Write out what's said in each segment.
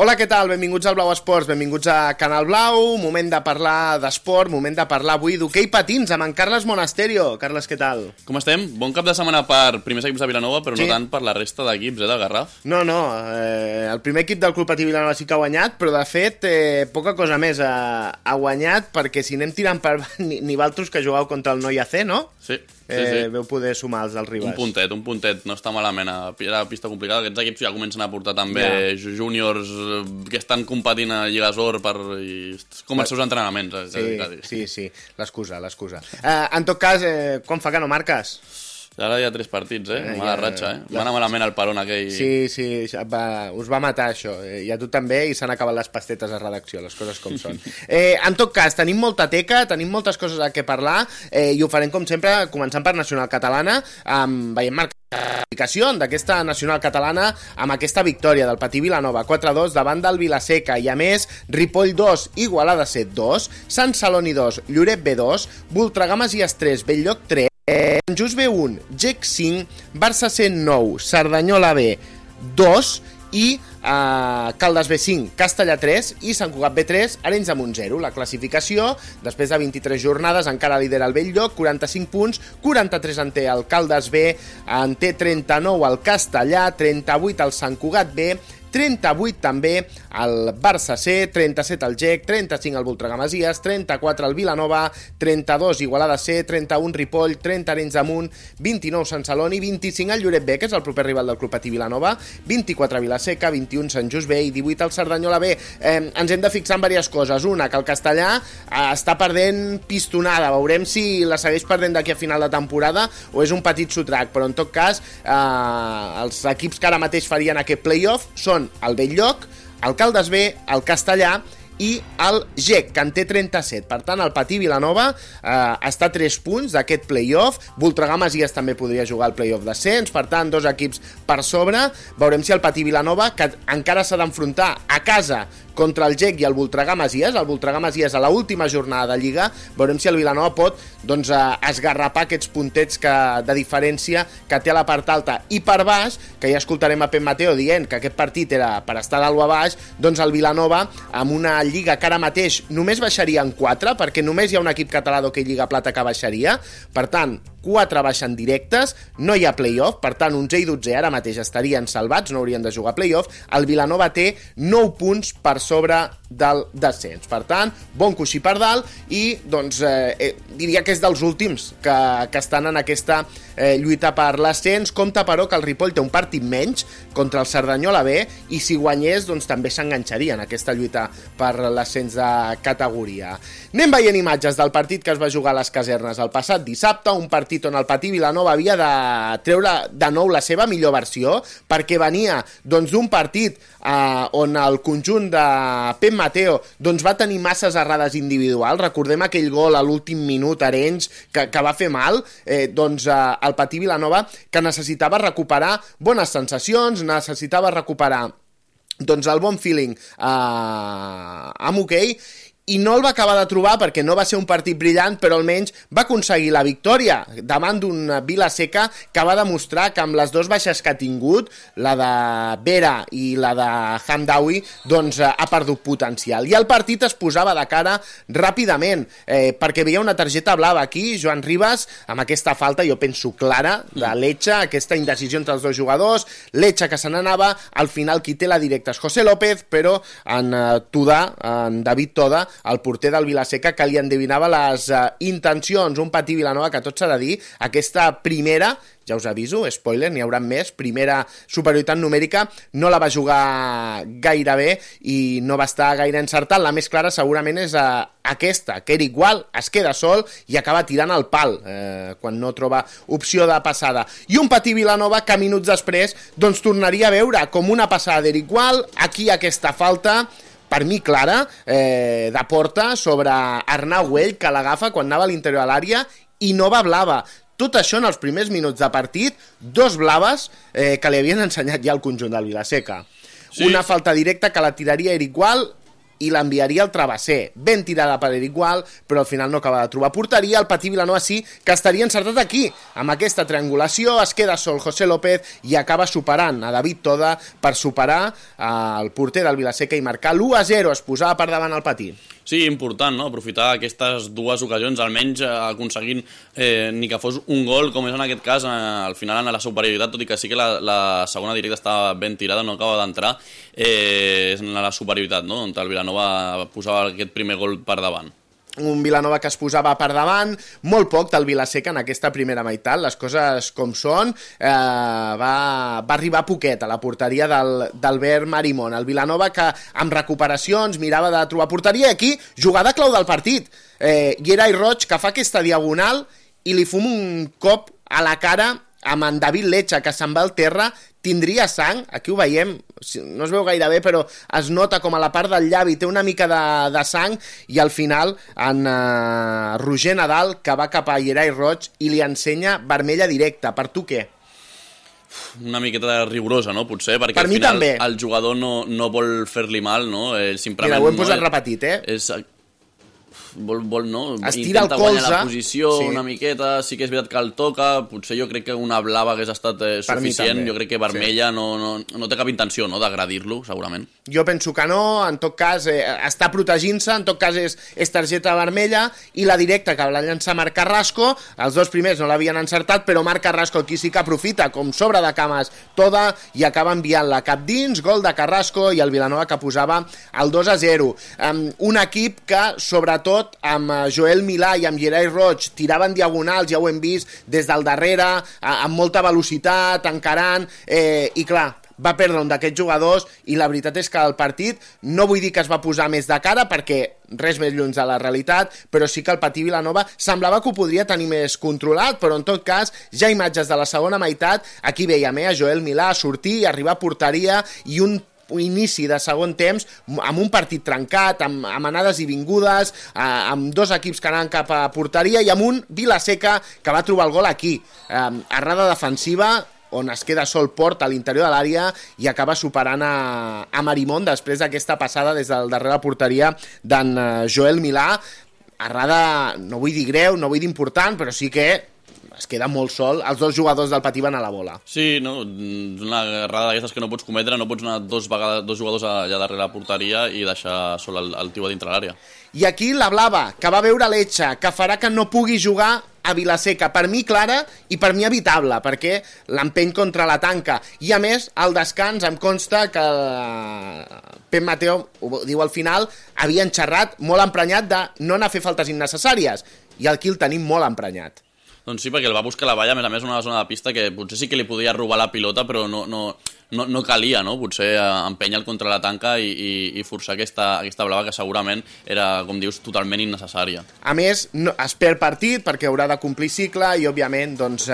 Hola, què tal? Benvinguts al Blau Esports, benvinguts a Canal Blau, moment de parlar d'esport, moment de parlar avui d'hoquei patins amb en Carles Monasterio. Carles, què tal? Com estem? Bon cap de setmana per primers equips de Vilanova, però sí, no tant per la resta d'equips, del Garraf. No, el primer equip del Club Patí Vilanova sí que ha guanyat, però de fet poca cosa més ha guanyat, perquè si anem tirant per ni valtros que jugueu contra el Noi AC, no? Sí. Veu poder sumar els del Ribas. Un puntet, no està malament. Era pista complicada, aquests equips ja comencen a portar també júniors que estan competint a Lliga Sor com els seus entrenaments. Sí, l'excusa. En tot cas, quan fa que no marques? Ara hi ha 3 partits, mala ratxa, Va anar malament el peron aquell. Sí, us va matar això. I a tu també, i s'han acabat les pastetes a redacció, les coses com són. En tot cas, tenim molta teca, tenim moltes coses a què parlar, i ho farem com sempre, començant per Nacional Catalana, veiem marcació d'aquesta Nacional Catalana amb aquesta victòria del Patí Vilanova 4-2 davant del Vilaseca, i a més Ripoll 2, Igualada 7-2, Sant Celoni 2, Lloret B2, Voltregames i Estrès, Belllloc 3, Sant Just B1, GEC 5, Barça C 9, Cerdanyola B 2 i Caldes B5, Castellà 3 i Sant Cugat B3, Arenys de Munt 0. La classificació, després de 23 jornades, encara lidera el Belllloc, 45 punts, 43 en té el Caldes B, en té 39 el Castellà, 38 el Sant Cugat B, 38 també el Barça C, 37 el GEC, 35 el Voltregamesies, 34 el Vilanova, 32 Igualada C, 31 Ripoll, 30 Arenys de Munt, 29 Sant Celoni, 25 el Lloret B, que és el proper rival del Club Patí Vilanova, 24 Vilaseca, 21 Sant Just B i 18 el Cerdanyola B. Ens hem de fixar en diverses coses. Una, que el Castellà està perdent pistonada. Veurem si la segueix perdent d'aquí a final de temporada o és un petit sotrac, però en tot cas els equips que ara mateix farien aquest playoff són el Belllloc, el Caldes B, el Castellà i el GEC, que en té 37. Per tant, el Patí Vilanova està a 3 punts d'aquest playoff. Voltregamesies també podria jugar al playoff d'ascens, per tant, 2 equips per sobre. Veurem si el Patí Vilanova, que encara s'ha d'enfrontar a casa contra el GEC i el Voltregamesies a l'última jornada de Lliga, veurem si el Vilanova pot esgarrapar aquests puntets de diferència que té a la part alta. I per baix, que ja escoltarem a Pep Mateo dient que aquest partit era per estar dalt o a baix, doncs el Vilanova, amb una Lliga que ara mateix només baixaria en 4, perquè només hi ha un equip català d'hoquei Lliga Plata que baixaria, per tant, 4 baixen directes, no hi ha playoff, per tant, 11 i 12 ara mateix estarien salvats, no haurien de jugar playoff. El Vilanova té 9 punts per sobre del descens. Per tant, bon coixí per dalt i, doncs, diria que és dels últims que estan en aquesta lluita per l'ascens. Compte, però, que el Ripoll té un partit menys contra el Cerdanyola B i si guanyés, doncs, també s'enganxaria en aquesta lluita per l'ascens de categoria. Anem veient imatges del partit que es va jugar a les Casernes el passat dissabte, un partit on el Patí Vilanova havia de treure de nou la seva millor versió, perquè venia d'un partit on el conjunt de Pep Mateo va tenir masses errades individuals. Recordem aquell gol a l'últim minut a Arenys que va fer mal. El Patí Vilanova, que necessitava recuperar bones sensacions, necessitava recuperar el bon feeling amb hoquei, i no el va acabar de trobar perquè no va ser un partit brillant, però almenys va aconseguir la victòria davant d'un Vilaseca que va demostrar que amb les 2 baixes que ha tingut, la de Vera i la de Hamdawi, ha perdut potencial. I el partit es posava de cara ràpidament, perquè veia una targeta blava aquí, Joan Ribas, amb aquesta falta, jo penso clara, de Lecce, aquesta indecisió entre els 2 jugadors, Lecce que se n'anava, al final qui té la directa és José López, però en David Toda, el porter del Vilaseca, que li endevinava les intencions. Un Patí Vilanova que, tot s'ha de dir, aquesta primera, ja us aviso, spoiler, n'hi haurà més, primera superioritat numèrica, no la va jugar gaire bé i no va estar gaire encertat. La més clara segurament és aquesta, que Eric Gual es queda sol i acaba tirant el pal quan no troba opció de passada. I un Patí Vilanova que minuts després tornaria a veure com una passada d'Eric Gual, aquí aquesta falta, per mi clara, de porta sobre Arnau Güell, que l'agafa quan anava a l'interior de l'àrea i no va blava. Tot això en els primers minuts de partit, 2 blaves que li havien ensenyat ja el conjunt del Vilaseca. Sí. Una falta directa que la tiraria Eric Gual i l'enviaria al travesser. Ben tirada per Eric Gual, però al final no acaba de trobar porteria. El Patí Vilanova sí que estaria encertat aquí, amb aquesta triangulació, es queda sol José López i acaba superant a David Toda per superar el porter del Vilaseca i marcar l'1-0, es posava per davant el Patí. Sí, important, no? Aprofitar aquestes dues ocasions, almenys aconseguint ni que fos un gol, com és en aquest cas, al final en la superioritat, tot i que sí que la segona directa estava ben tirada, no acaba d'entrar, és en la superioritat, no? On el Vilanova posava aquest primer gol per davant. Un Vilanova que es posava per davant, molt poc del Vilaseca en aquesta primera meitat, les coses com són, va arribar poquet a la porteria d'Albert Marimón. El Vilanova que amb recuperacions mirava de trobar porteria i aquí jugada clau del partit. Gerai Roig que fa aquesta diagonal i li fuma un cop a la cara amb en David Lecha, que se'n va al terra, tindria sang, aquí ho veiem, no es veu gaire bé, però es nota com a la part del llavi té una mica de sang, i al final en Roger Nadal, que va cap a Gerai Roig i li ensenya vermella directa. Per tu què? Una miqueta rigorosa, no? Potser, perquè per al final també. El jugador no vol fer-li mal, no? Simplement, mira, ho hem posat repetit, vol no? Estira intenta el colze, guanyar la posició sí. Una miqueta, sí que és veritat que el toca, potser jo crec que una blava hagués estat suficient, jo crec que vermella sí. no té cap intenció, no?, d'agredir-lo, segurament. Jo penso que no, en tot cas està protegint-se, en tot cas és targeta vermella, i la directa que va llançar Marc Carrasco, els dos primers no l'havien encertat, però Marc Carrasco aquí sí que aprofita, com sobre de cames Toda, i acaba enviant-la cap dins, gol de Carrasco, i el Vilanova que posava el 2-0. Un equip que, sobretot, amb Joel Milà i amb Gerai Roig tiraven diagonals, ja ho hem vist des del darrere, amb molta velocitat, encarant, i clar, va perdre un d'aquests jugadors, i la veritat és que el partit, no vull dir que es va posar més de cara, perquè res més lluny de la realitat, però sí que el Patí Vilanova semblava que ho podria tenir més controlat, però en tot cas, ja imatges de la segona meitat, aquí veiem a Joel Milà sortir, arribar a porteria, i un inici de segon temps amb un partit trencat, amb anades i vingudes, amb dos equips que anaven cap a porteria i amb un Vilaseca que va trobar el gol aquí, errada defensiva on es queda sol Port a l'interior de l'àrea i acaba superant a Marimón després d'aquesta passada des del darrere la porteria d'en Joel Milà. Errada, no vull dir greu, no vull dir important, però sí que es queda molt sol, els dos jugadors del Patí van a la bola. Sí, no? Una errada d'aquestes que no pots cometre, no pots anar dos jugadors allà darrere la porteria i deixar sol el tio a dintre l'àrea. I aquí la blava, que va veure l'Etxa, que farà que no pugui jugar a Vilaseca, per mi clara i per mi evitable, perquè l'empeny contra la tanca, i a més al descans em consta que Pep Mateo, ho diu al final, havia enxerrat molt emprenyat de no anar a fer faltes innecessàries, i aquí el tenim molt emprenyat. Doncs sí, perquè el va buscar la valla, a més una zona de pista que potser sí que li podia robar la pilota, però no calia, no? Potser empènyer contra la tanca i forçar aquesta blava que segurament era, com dius, totalment innecessària. A més, es perd partit perquè haurà de complir cicle i, òbviament, doncs,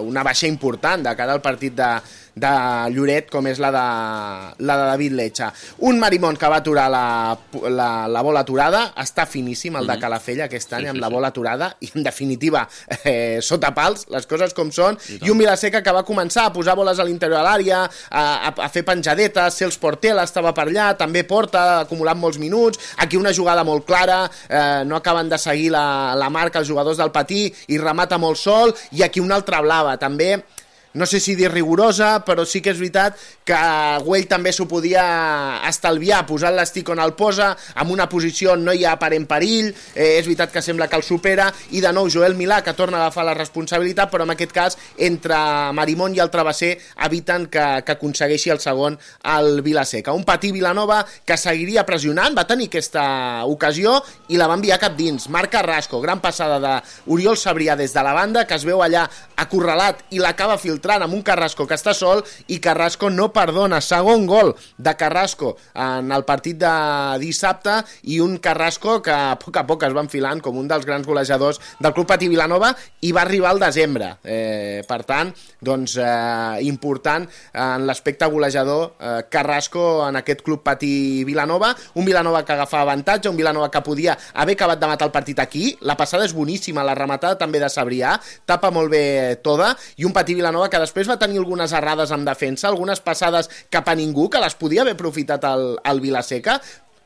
una baixa important de cara al partit de Lloret, com és la de David Lecha. Un Marimón que va aturar la bola aturada, està finíssim el de Calafell aquest any, amb la bola aturada, i en definitiva sota pals, les coses com són, i un Vilaseca que va començar a posar boles a l'interior de l'àrea, a fer penjadetes, Cels Portela estava per allà, també Porta, acumulant molts minuts, aquí una jugada molt clara, no acaben de seguir la marca els jugadors del Patí i remata molt sol, i aquí una altra blava, també no sé si dir rigorosa, però sí que és veritat que Güell també s'ho podia estalviar, posant l'estic on el posa, amb una posició on no hi ha aparent perill, és veritat que sembla que el supera, i de nou Joel Milà, que torna a agafar la responsabilitat, però en aquest cas, entre Marimón i el travesser, eviten que aconsegueixi el segon al Vilaseca. Un Patí Vilanova que seguiria pressionant, va tenir aquesta ocasió i la va enviar cap dins. Marc Carrasco, gran passada d'Oriol Sabrià des de la banda, que es veu allà acorralat i l'acaba filtrant amb un Carrasco que està sol, i Carrasco no perdona. Segon gol de Carrasco en el partit de dissabte, i un Carrasco que a poc es va enfilant com un dels grans golejadors del Club Patí Vilanova, i va arribar al desembre. Per tant, doncs, important en l'aspecte golejador Carrasco en aquest Club Patí Vilanova, un Vilanova que agafava avantatge, un Vilanova que podia haver acabat de matar el partit aquí. La passada és boníssima, la rematada també de Sabrià, tapa molt bé Toda, i un Patí Vilanova que després va tenir algunes errades en defensa, algunes passades cap a ningú, que les podia haver aprofitat el Vilaseca.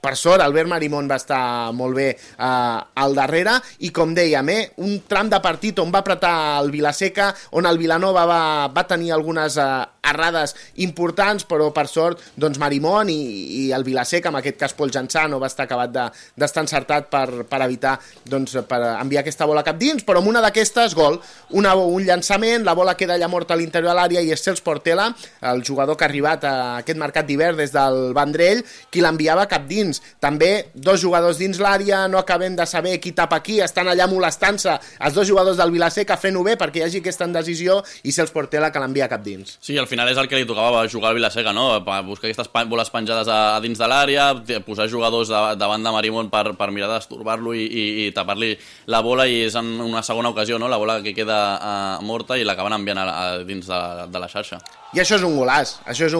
Per sort, Albert Marimón va estar molt bé al darrere i, com dèiem, un tram de partit on va apretar el Vilaseca, on el Vilanova va tenir algunes errades importants, però per sort doncs Marimón i el Vilaseca, en aquest cas Pol Jansà, no va estar acabat d'estar encertat per evitar per enviar aquesta bola cap dins, però amb una d'aquestes, gol, un llançament, la bola queda allà morta a l'interior de l'àrea i és Cels Portela, el jugador que ha arribat a aquest mercat d'hivern des del Vendrell, qui l'enviava cap dins. També dos jugadors dins l'àrea, no acabem de saber qui tapa qui, estan allà molestant-se els dos jugadors del Vilaseca fent-ho bé perquè hi hagi aquesta indecisió i Cels Portela que l'envia cap dins. Sí, al final és el que li tocava jugar al Vilaseca, no? Buscar aquestes boles penjades a dins de l'àrea, posar jugadors davant de Marimón per mirar d'estorbar-lo i tapar-li la bola, i és en una segona ocasió, no? La bola que queda morta i l'acaben enviant dins de la xarxa. I això és un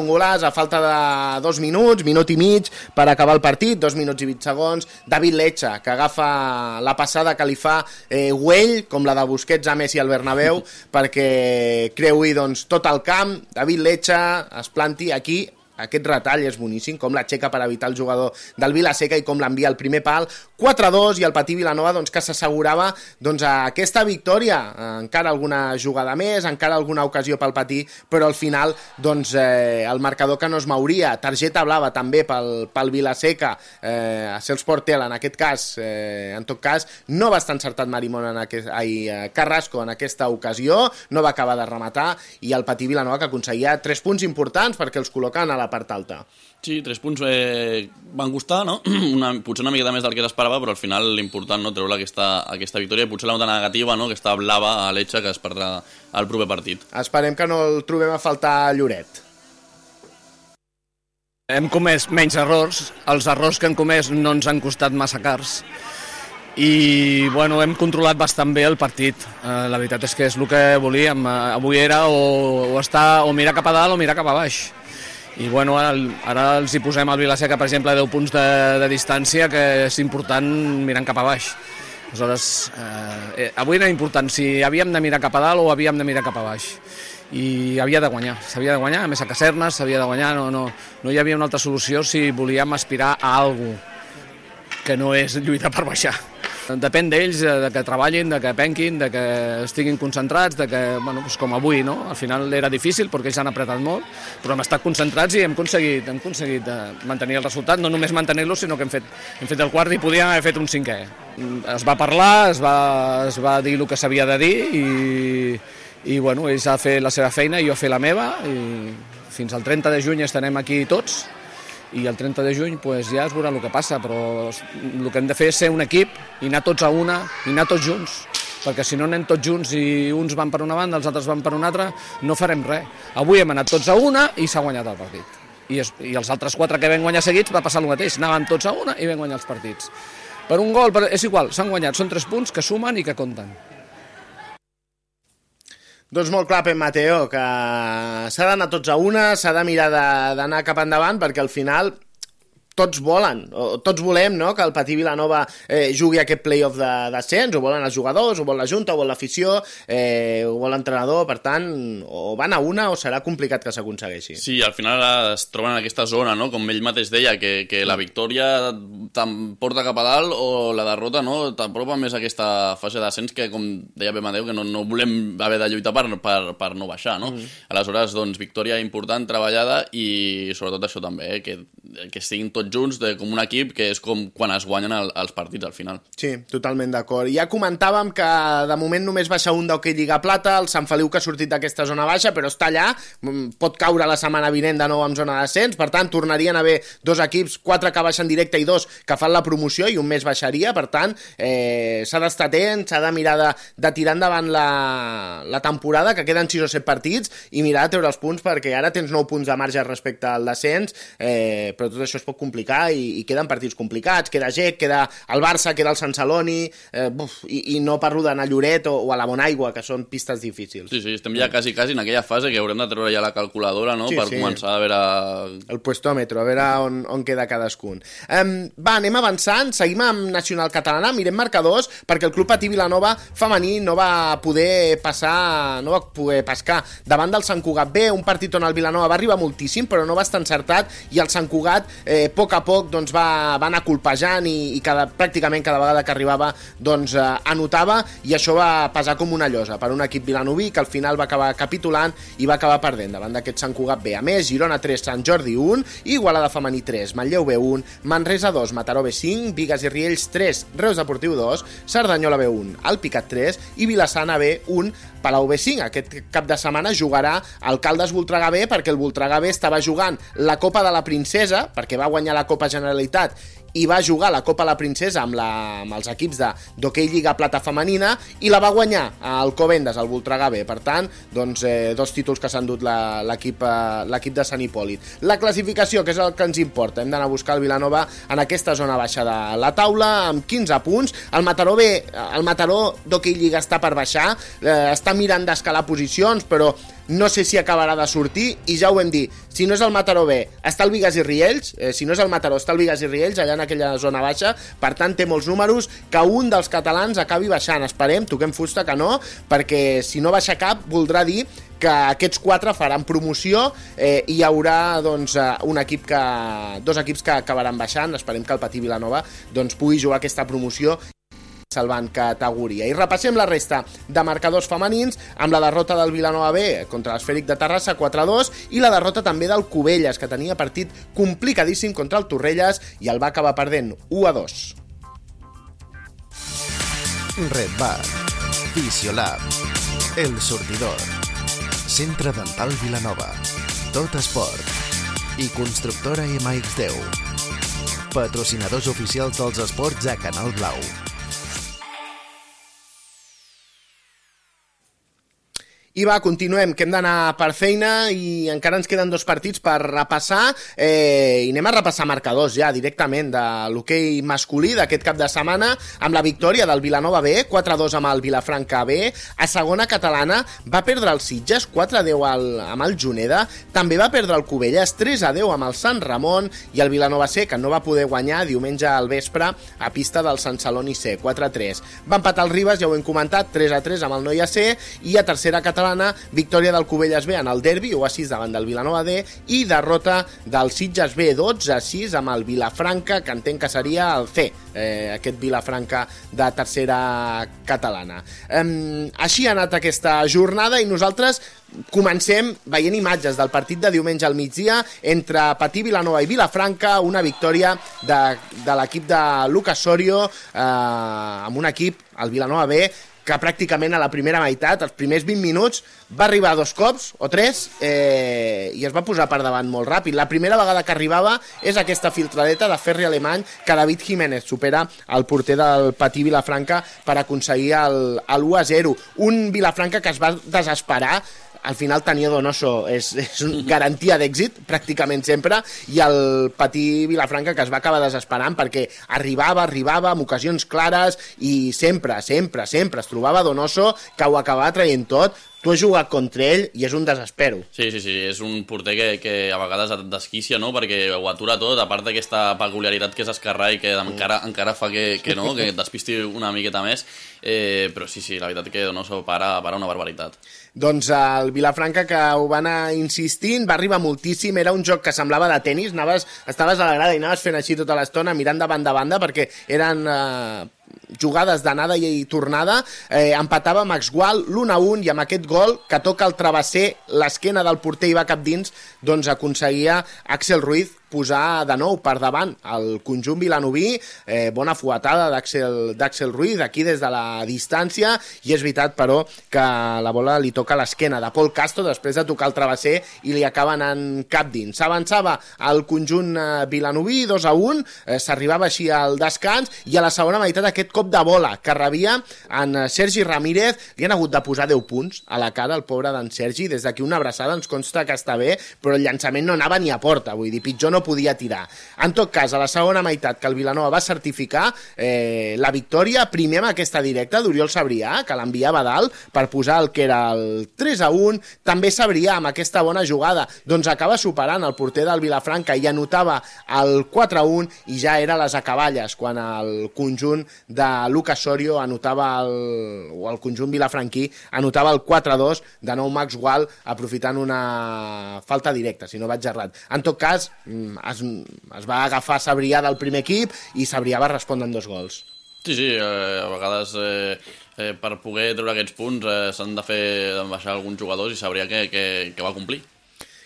golaç, a falta de 2 minuts, minut i mig per acabar el partit, 2 minuts i 20 segons, David Lecha, que agafa la passada que li fa Güell, com la de Busquets a Messi al Bernabéu, perquè creui doncs, tot el camp, David Lecha es planti aquí. Aquest retall és boníssim, com l'aixeca per evitar el jugador del Vilaseca i com l'envia al primer pal, 4-2, i el Patí Vilanova doncs, que s'assegurava aquesta victòria, encara alguna jugada més, encara alguna ocasió pel Patí, però al final el marcador que no es mouria, targeta blava també pel Vilaseca, a Cels Portela en aquest cas, en tot cas no va estar encertat Marimón Carrasco en aquesta ocasió, no va acabar de rematar, i el Patí Vilanova que aconseguia 3 punts importants perquè els col·loquen a la part alta. Sí, 3 punts van costar, no? Potser una miqueta més del que s'esperava, però al final l'important, no, treure aquesta victòria, potser la nota negativa, no, aquesta blava a l'Etxa que es perdrà el proper partit. Esperem que no el trobem a faltar a Lloret. Hem comès menys errors, els errors que hem comès no ens han costat massa cars i bueno, hem controlat bastant bé el partit. La veritat és que és el que volíem. Avui era o mirar cap a dalt o mirar cap a baix. I bueno, ara els hi posem al Vilaseca, per exemple, 10 punts de distància, que és important mirant cap a baix. Aleshores, avui era important si havíem de mirar cap a dalt o havíem de mirar cap a baix. I s'havia de guanyar, a més a Casernes s'havia de guanyar, no hi havia una altra solució si volíem aspirar a alguna cosa que no és lluitar per baixar. Depèn d'ells, de que treballin, de que penquin, de que estiguin concentrats, de que, bueno, doncs com avui, no? Al final era difícil perquè ells han apretat molt, però hem estat concentrats i hem aconseguit mantenir el resultat, no només mantenir-lo, sinó que hem fet el quart i podíem haver fet un cinquè. Es va parlar, es va dir el que s'havia de dir i bueno, ells han fet la seva feina i jo he fet la meva, i fins al 30 de juny estarem aquí tots, i el 30 de juny pues, ja es veurà el que passa, però el que hem de fer és ser un equip i anar tots a una, i anar tots junts, perquè si no anem tots junts i uns van per una banda, els altres van per una altra, no farem res. Avui hem anat tots a una i s'ha guanyat el partit. I els altres 4 que vam guanyar seguits va passar el mateix, anaven tots a una i vam guanyar els partits. Per un gol, és igual, s'han guanyat, són 3 punts que sumen i que compten. Doncs molt clar, Pep Mateo, que s'ha d'anar tots a una, s'ha de mirar d'anar cap endavant, perquè al final tots volen, o tots volem, no?, que el Patí Vilanova jugui aquest play-off d'ascens, ho volen els jugadors, ho vol la Junta, ho vol l'afició, ho vol l'entrenador, per tant, o van a una o serà complicat que s'aconsegueixi. Sí, al final es troben en aquesta zona, no?, com ell mateix deia, que la victòria t'emporta cap a dalt o la derrota, no?, t'apropa més a aquesta fase d'ascens que, com deia Pep Mateu, que no volem haver de lluitar per no baixar, no? Aleshores, doncs, victòria important, treballada, i sobretot això també, que siguin tots junts com un equip, que és com quan es guanyen els partits al final. Sí, totalment d'acord. Ja comentàvem que de moment només baixa un d'Hockey Lliga Plata, el Sant Feliu que ha sortit d'aquesta zona baixa, però està allà, pot caure la setmana vinent de nou en zona d'ascens, per tant tornarien a haver 2 equips, 4 que baixen directe i 2 que fan la promoció i un més baixaria, per tant s'ha d'estar atent, s'ha de mirar de tirar endavant la temporada, que queden 6 o 7 partits, i mirar de treure els punts, perquè ara tens 9 punts de marge respecte al descens, però tot això es pot complicar i queden partits complicats, queda GEC, queda el Barça, queda el Sant Celoni, i no parlo d'anar a Lloret o a la Bonaigua, que són pistes difícils. Sí, estem ja quasi en aquella fase que haurem de treure ja la calculadora, no?, per començar a veure... El puestòmetre, a veure on queda cadascun. Va, anem avançant, seguim amb Nacional Catalana, mirem marcadors, perquè el Club Patí Vilanova femení no va poder pescar davant del Sant Cugat B, un partit on el Vilanova va arribar moltíssim, però no va estar encertat, i el Sant Cugat poc a poc doncs, va anar colpejant i pràcticament cada vegada que arribava doncs, anotava, i això va pesar com una llosa per un equip vilanoví que al final va acabar capitulant i va acabar perdent davant d'aquest Sant Cugat B. A més, Girona 3, Sant Jordi 1, Igualada Femení 3, Manlleu B 1, Manresa 2, Mataró B 5, Bigues i Riells 3, Reus Deportiu 2, Cerdanyola B 1, Alpicat 3 i Vilassana B 1, Palau B5. Aquest cap de setmana jugarà Alcaldes Voltregà B, perquè el Voltregà B estava jugant la Copa de la Princesa, perquè va guanyar la Copa Generalitat i va jugar la Copa la Princesa amb els equips d'hoquei Lliga Plata Femenina, i la va guanyar el Covendes, el Voltregà B. Per tant, doncs, 2 títols que s'han dut l'equip de Sant Hipòlit. La classificació, que és el que ens importa, hem d'anar a buscar el Vilanova en aquesta zona baixa de la taula, amb 15 punts. El Mataró B, el Mataró d'hoquei Lliga està per baixar, està mirant d'escalar posicions, però no sé si acabarà de sortir, i ja ho vam dir, si no és el Mataró B, està el Bigues i Riells, si no és el Mataró, està el Bigues i Riells, allà en aquella zona baixa, per tant té molts números que un dels catalans acabi baixant. Esperem, toquem fusta que no, perquè si no baixa cap, voldrà dir que aquests 4 faran promoció i hi haurà doncs, dos equips que acabaran baixant. Esperem que el Patí Vilanova doncs, pugui jugar aquesta promoció salvant categoria. I repassem la resta de marcadors femenins, amb la derrota del Vilanova B contra l'Esfèric de Terrassa 4-2 i la derrota també del Cubelles, que tenia partit complicadíssim contra el Torrelles i el va acabar perdent 1-2. Red Bar, Fisiolab, El Sortidor, Centre Dental Vilanova, Tot Esport i Constructora MX10, patrocinadors oficials dels esports a Canal Blau. I va, continuem, que hem d'anar per feina i encara ens queden 2 partits per repassar, i anem a repassar marcadors ja directament de l'hoquei masculí d'aquest cap de setmana, amb la victòria del Vilanova B, 4-2 amb el Vilafranca B. A segona catalana va perdre el Sitges 4-10 amb el Juneda, també va perdre el Cubelles 3-10 amb el Sant Ramon, i el Vilanova C, que no va poder guanyar diumenge al vespre a pista del Sant Celoni C, 4-3. Va empatar el Ribes, ja ho hem comentat, 3-3 amb el Noia C, i a tercera catalana, victòria del Cubelles B en el derbi, 1-6 davant del Vilanova D, i derrota del Sitges B 12-6 amb el Vilafranca, que entenc que seria el C, aquest Vilafranca de tercera catalana. Així ha anat aquesta jornada i nosaltres comencem veient imatges del partit de diumenge al migdia entre Patí Vilanova i Vilafranca, una victòria de l'equip de Lucas Sorio amb un equip, el Vilanova B, que pràcticament a la primera meitat, els primers 20 minuts, va arribar 2 cops o 3 i es va posar per davant molt ràpid. La primera vegada que arribava és aquesta filtradeta de Ferri Alemany que David Jiménez supera el porter del Patí Vilafranca per aconseguir el 1-0. Un Vilafranca que es va desesperar. Al final tenia Donoso, és garantia d'èxit pràcticament sempre, i el Patí Vilafranca que es va acabar desesperant perquè arribava amb ocasions clares i sempre es trobava Donoso que ho acabava traient tot. Tu has jugat contra ell i és un desespero. Sí, és un porter que a vegades et desquicia, no?, perquè ho atura tot, a part d'aquesta peculiaritat que és esquerrà i que encara fa que et despisti una miqueta més, però sí, la veritat que Donoso para una barbaritat. Doncs el Vilafranca, que ho va anar insistint, va arribar moltíssim, era un joc que semblava de tenis, estaves a la grada i anaves fent així tota l'estona, mirant de banda a banda, perquè eren jugades d'anada i tornada. Empatava Max Gual l'1-1, i amb aquest gol que toca el travesser, l'esquena del porter i va cap dins, doncs aconseguia Axel Ruiz posar de nou per davant el conjunt vilanoví. Bona fuetada d'Axel Ruiz aquí des de la distància, i és veritat però que la bola li toca a l'esquena de Pol Castro després de tocar el travesser i li acaba anant cap dins. S'avançava el conjunt vilanoví 2-1, s'arribava així al descans, i a la segona meitat aquest cop de bola que rebia en Sergi Ramírez, li han hagut de posar 10 punts a la cara al pobre d'en Sergi. Des d'aquí una abraçada, ens consta que està bé, però el llançament no anava ni a porta, vull dir, pitjor no podia tirar. En tot cas, a la segona meitat que el Vilanova va certificar la victòria, primer amb aquesta directa d'Oriol Sabrià, que l'enviava dalt per posar el que era el 3-1, també Sabrià amb aquesta bona jugada, doncs acaba superant el porter del Vilafranca i anotava el 4-1, i ja era les acaballes quan el conjunt de Lucas Sorio anotava o el conjunt vilafranquí anotava el 4-2, de nou Max Gual aprofitant una falta directa, si no vaig errat. En tot cas, es va agafar Sabrià del primer equip i Sabrià va respondre amb 2 gols. Sí, a vegades per poder treure aquests punts s'han de baixar alguns jugadors i Sabrià que va complir.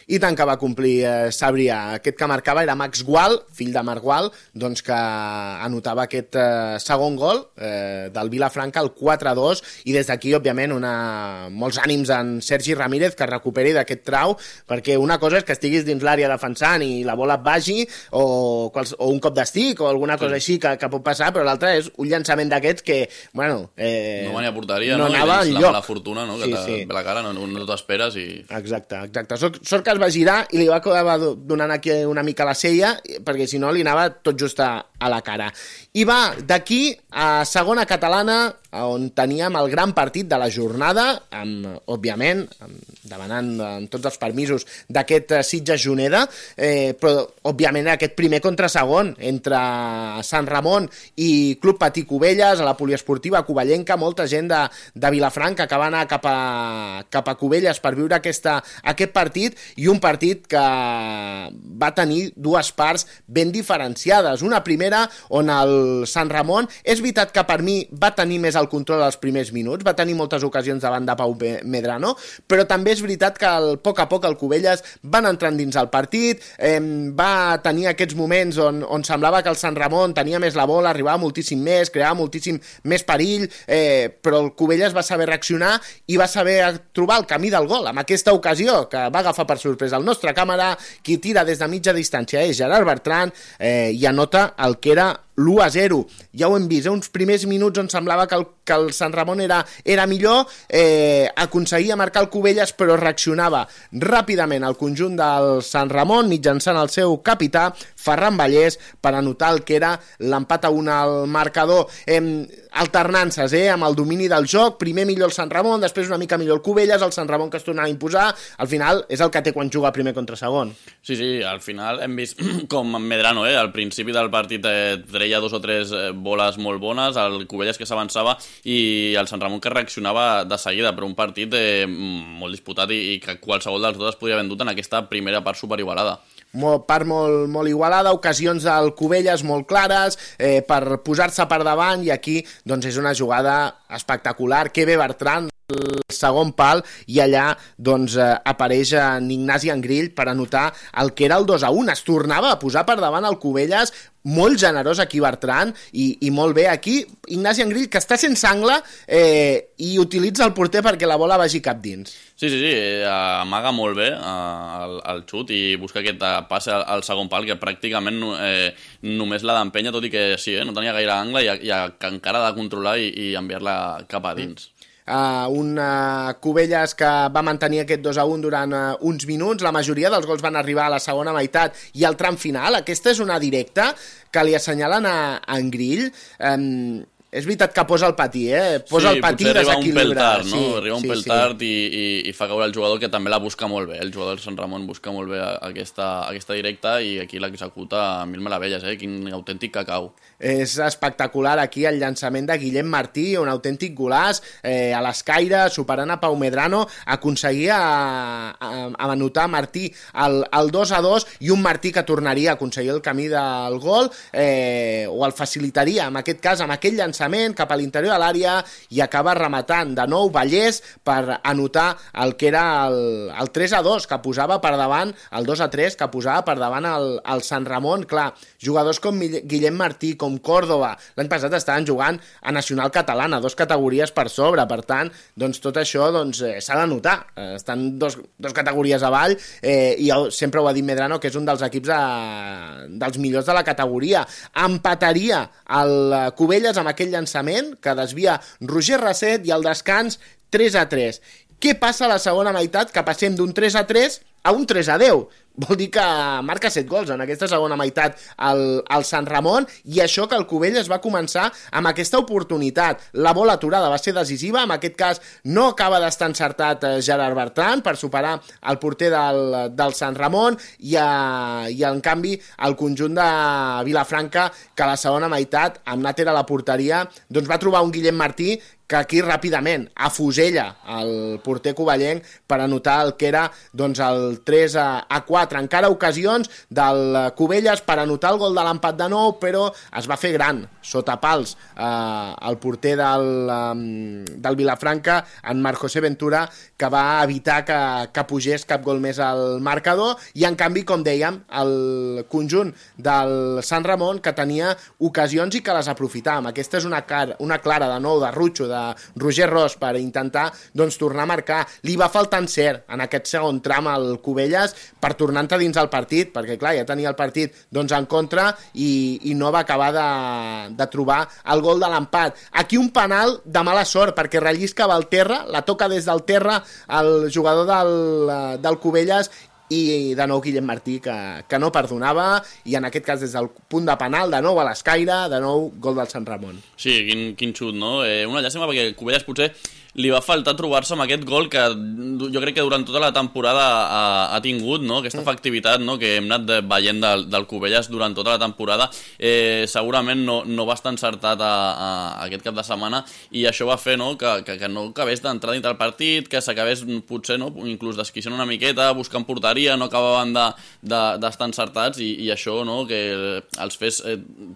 I tant que va complir Sabrià. Aquest que marcava era Max Gual, fill de Marc Gual, doncs que anotava aquest segon gol del Vilafranca, el 4-2, i des d'aquí, òbviament, molts ànims en Sergi Ramírez que recuperi d'aquest trau, perquè una cosa és que estiguis dins l'àrea defensant i la bola et vagi, o un cop d'estic, o alguna cosa així que pot passar, però l'altra és un llançament d'aquests que, bueno... no venia a porteria, no anava enlloc. La mala fortuna, no? Que ve la cara, no t'esperes i... Exacte. Sort que es va girar i li va acabar donant aquí una mica la cella, perquè si no li anava tot just a la cara. I va d'aquí a segona catalana, on teníem el gran partit de la jornada, òbviament, demanant amb tots els permisos d'aquest Sitges-Juneda, però, òbviament, aquest primer contra segon, entre Sant Ramon i Club Patí Cubelles, a la poliesportiva covellenca, molta gent de Vilafranca que va anar cap a Cubelles per viure aquest partit, i un partit que va tenir 2 parts ben diferenciades. Una primera on el Sant Ramon, és veritat que per mi va tenir més el control als primers minuts, va tenir moltes ocasions davant de Pau Medrano, però també és veritat que a poc el Cubelles van entrant dins el partit, va tenir aquests moments on semblava que el Sant Ramon tenia més la bola, arribava moltíssim més, creava moltíssim més perill, però el Cubelles va saber reaccionar i va saber trobar el camí del gol. En aquesta ocasió, que va agafar per sorpresa el nostre càmera, qui tira des de mitja distància és Gerard Bertran, i anota el que era l'1-0. Ja ho hem vist, uns primers minuts on semblava que el Sant Ramon era millor, aconseguia marcar el Cubelles, però reaccionava ràpidament al conjunt del Sant Ramon mitjançant el seu capità, Ferran Vallès, per anotar el que era l'empat a 1 al marcador. Alternances, amb el domini del joc, primer millor el Sant Ramon, després una mica millor el Cubelles, el Sant Ramon que es tornava a imposar, al final és el que té quan juga primer contra segon. Sí, al final hem vist com Medrano, al principi del partit treia 2 o 3 boles molt bones, el Cubelles que s'avançava i el Sant Ramon que reaccionava de seguida, però un partit molt disputat i que qualsevol dels dos es podia haver endut en aquesta primera part superigualada. Part molt igualada, ocasions del Cubelles molt clares, per posar-se per davant, i aquí doncs és una jugada espectacular. Que bé Bertran, el segon pal, i allà doncs apareix en Ignasi Angrill per anotar el que era el 2-1. Es tornava a posar per davant el Cubelles, molt generós aquí Bertran, i molt bé aquí Ignasi Angrill, que està sense angle i utilitza el porter perquè la bola vagi cap dins. Sí, amaga molt bé el xut i busca aquest passe al segon pal, que pràcticament només l'ha d'empènyer, tot i que sí, no tenia gaire angle i que encara ha de controlar i enviar-la cap a dins. Un Cubelles que va mantenir aquest 2-1 durant uns minuts. La majoria dels gols van arribar a la segona meitat i al tram final. Aquesta és una directa que li assenyalen a Angrill. És veritat que posa el patí, posa el patí i desequilibra. Arriba un pèl tard i fa caure el jugador, que també la busca molt bé. El jugador del Sant Ramon busca molt bé aquesta directa i aquí l'executa a mil meravelles, quin autèntic cacau. És espectacular aquí el llançament de Guillem Martí, un autèntic golaç, a l'escaire, superant a Pau Medrano, aconseguia anotar Martí el 2-2, i un Martí que tornaria a aconseguir el camí del gol, o el facilitaria, en aquest cas, amb aquell llançament cap a l'interior de l'àrea, i acaba rematant de nou Vallès per anotar el que era el 3-2, que posava per davant, el 2-3, que posava per davant el Sant Ramon. Clar, jugadors com Guillem Martí, com Córdoba, l'any passat estaven jugant a Nacional Catalana, 2 categories per sobre, per tant, doncs tot això s'ha de notar, estan dos categories avall, i sempre ho ha dit Medrano, que és un dels equips dels millors de la categoria. Empataria el Cubelles amb aquell llançament que desvia Roger Rasset, i al descans 3-3. Què passa a la segona meitat? Que passem d'un 3-3 a un 3-10. Vol dir que marca 7 gols en aquesta segona meitat al Sant Ramon, i això que el Cubelles va començar amb aquesta oportunitat. La bola aturada va ser decisiva, en aquest cas no acaba d'estar encertat Gerard Bertran per superar el porter del Sant Ramon, i en canvi el conjunt de Vilafranca, que a la segona meitat, amb Nàter a la porteria, doncs va trobar un Guillem Martí que aquí ràpidament afusella el porter covellenc per anotar el que era doncs, el 3-4. Encara ocasions del Cubelles per anotar el gol de l'empat de nou, però es va fer gran sota pals el porter del Vilafranca, en Marc José Ventura, que va evitar que pugés cap gol més al marcador, i en canvi, com dèiem, el conjunt del Sant Ramon, que tenia ocasions i que les aprofitàvem. Aquesta és una clara de nou de Rutxo, de Roger Ros, per intentar doncs, tornar a marcar. Li va faltar encert en aquest segon tram al Cubelles per tornar-te dins el partit, perquè clar, ja tenia el partit doncs, en contra i no va acabar de trobar el gol de l'empat. Aquí un penal de mala sort, perquè rellisca Valterra, la toca des del terra el jugador del Cubelles, i de nou Guillem Martí que no perdonava, i en aquest cas des del punt de penal, de nou a l'escaire, de nou gol del Sant Ramon. Sí, quin xut, no? Una llàstima perquè Cubelles potser li va faltar trobar-se amb aquest gol que jo crec que durant tota la temporada ha tingut, no? Aquesta efectivitat, no? Que hem anat veient del Cubelles durant tota la temporada. Segurament no va estar encertat aquest cap de setmana, i això va fer, no? Que no acabés d'entrar dintre el partit, que s'acabés potser, no? Inclús desquiciant una miqueta, buscant porteria, no acabaven d'estar encertats, i això, no? Que els fes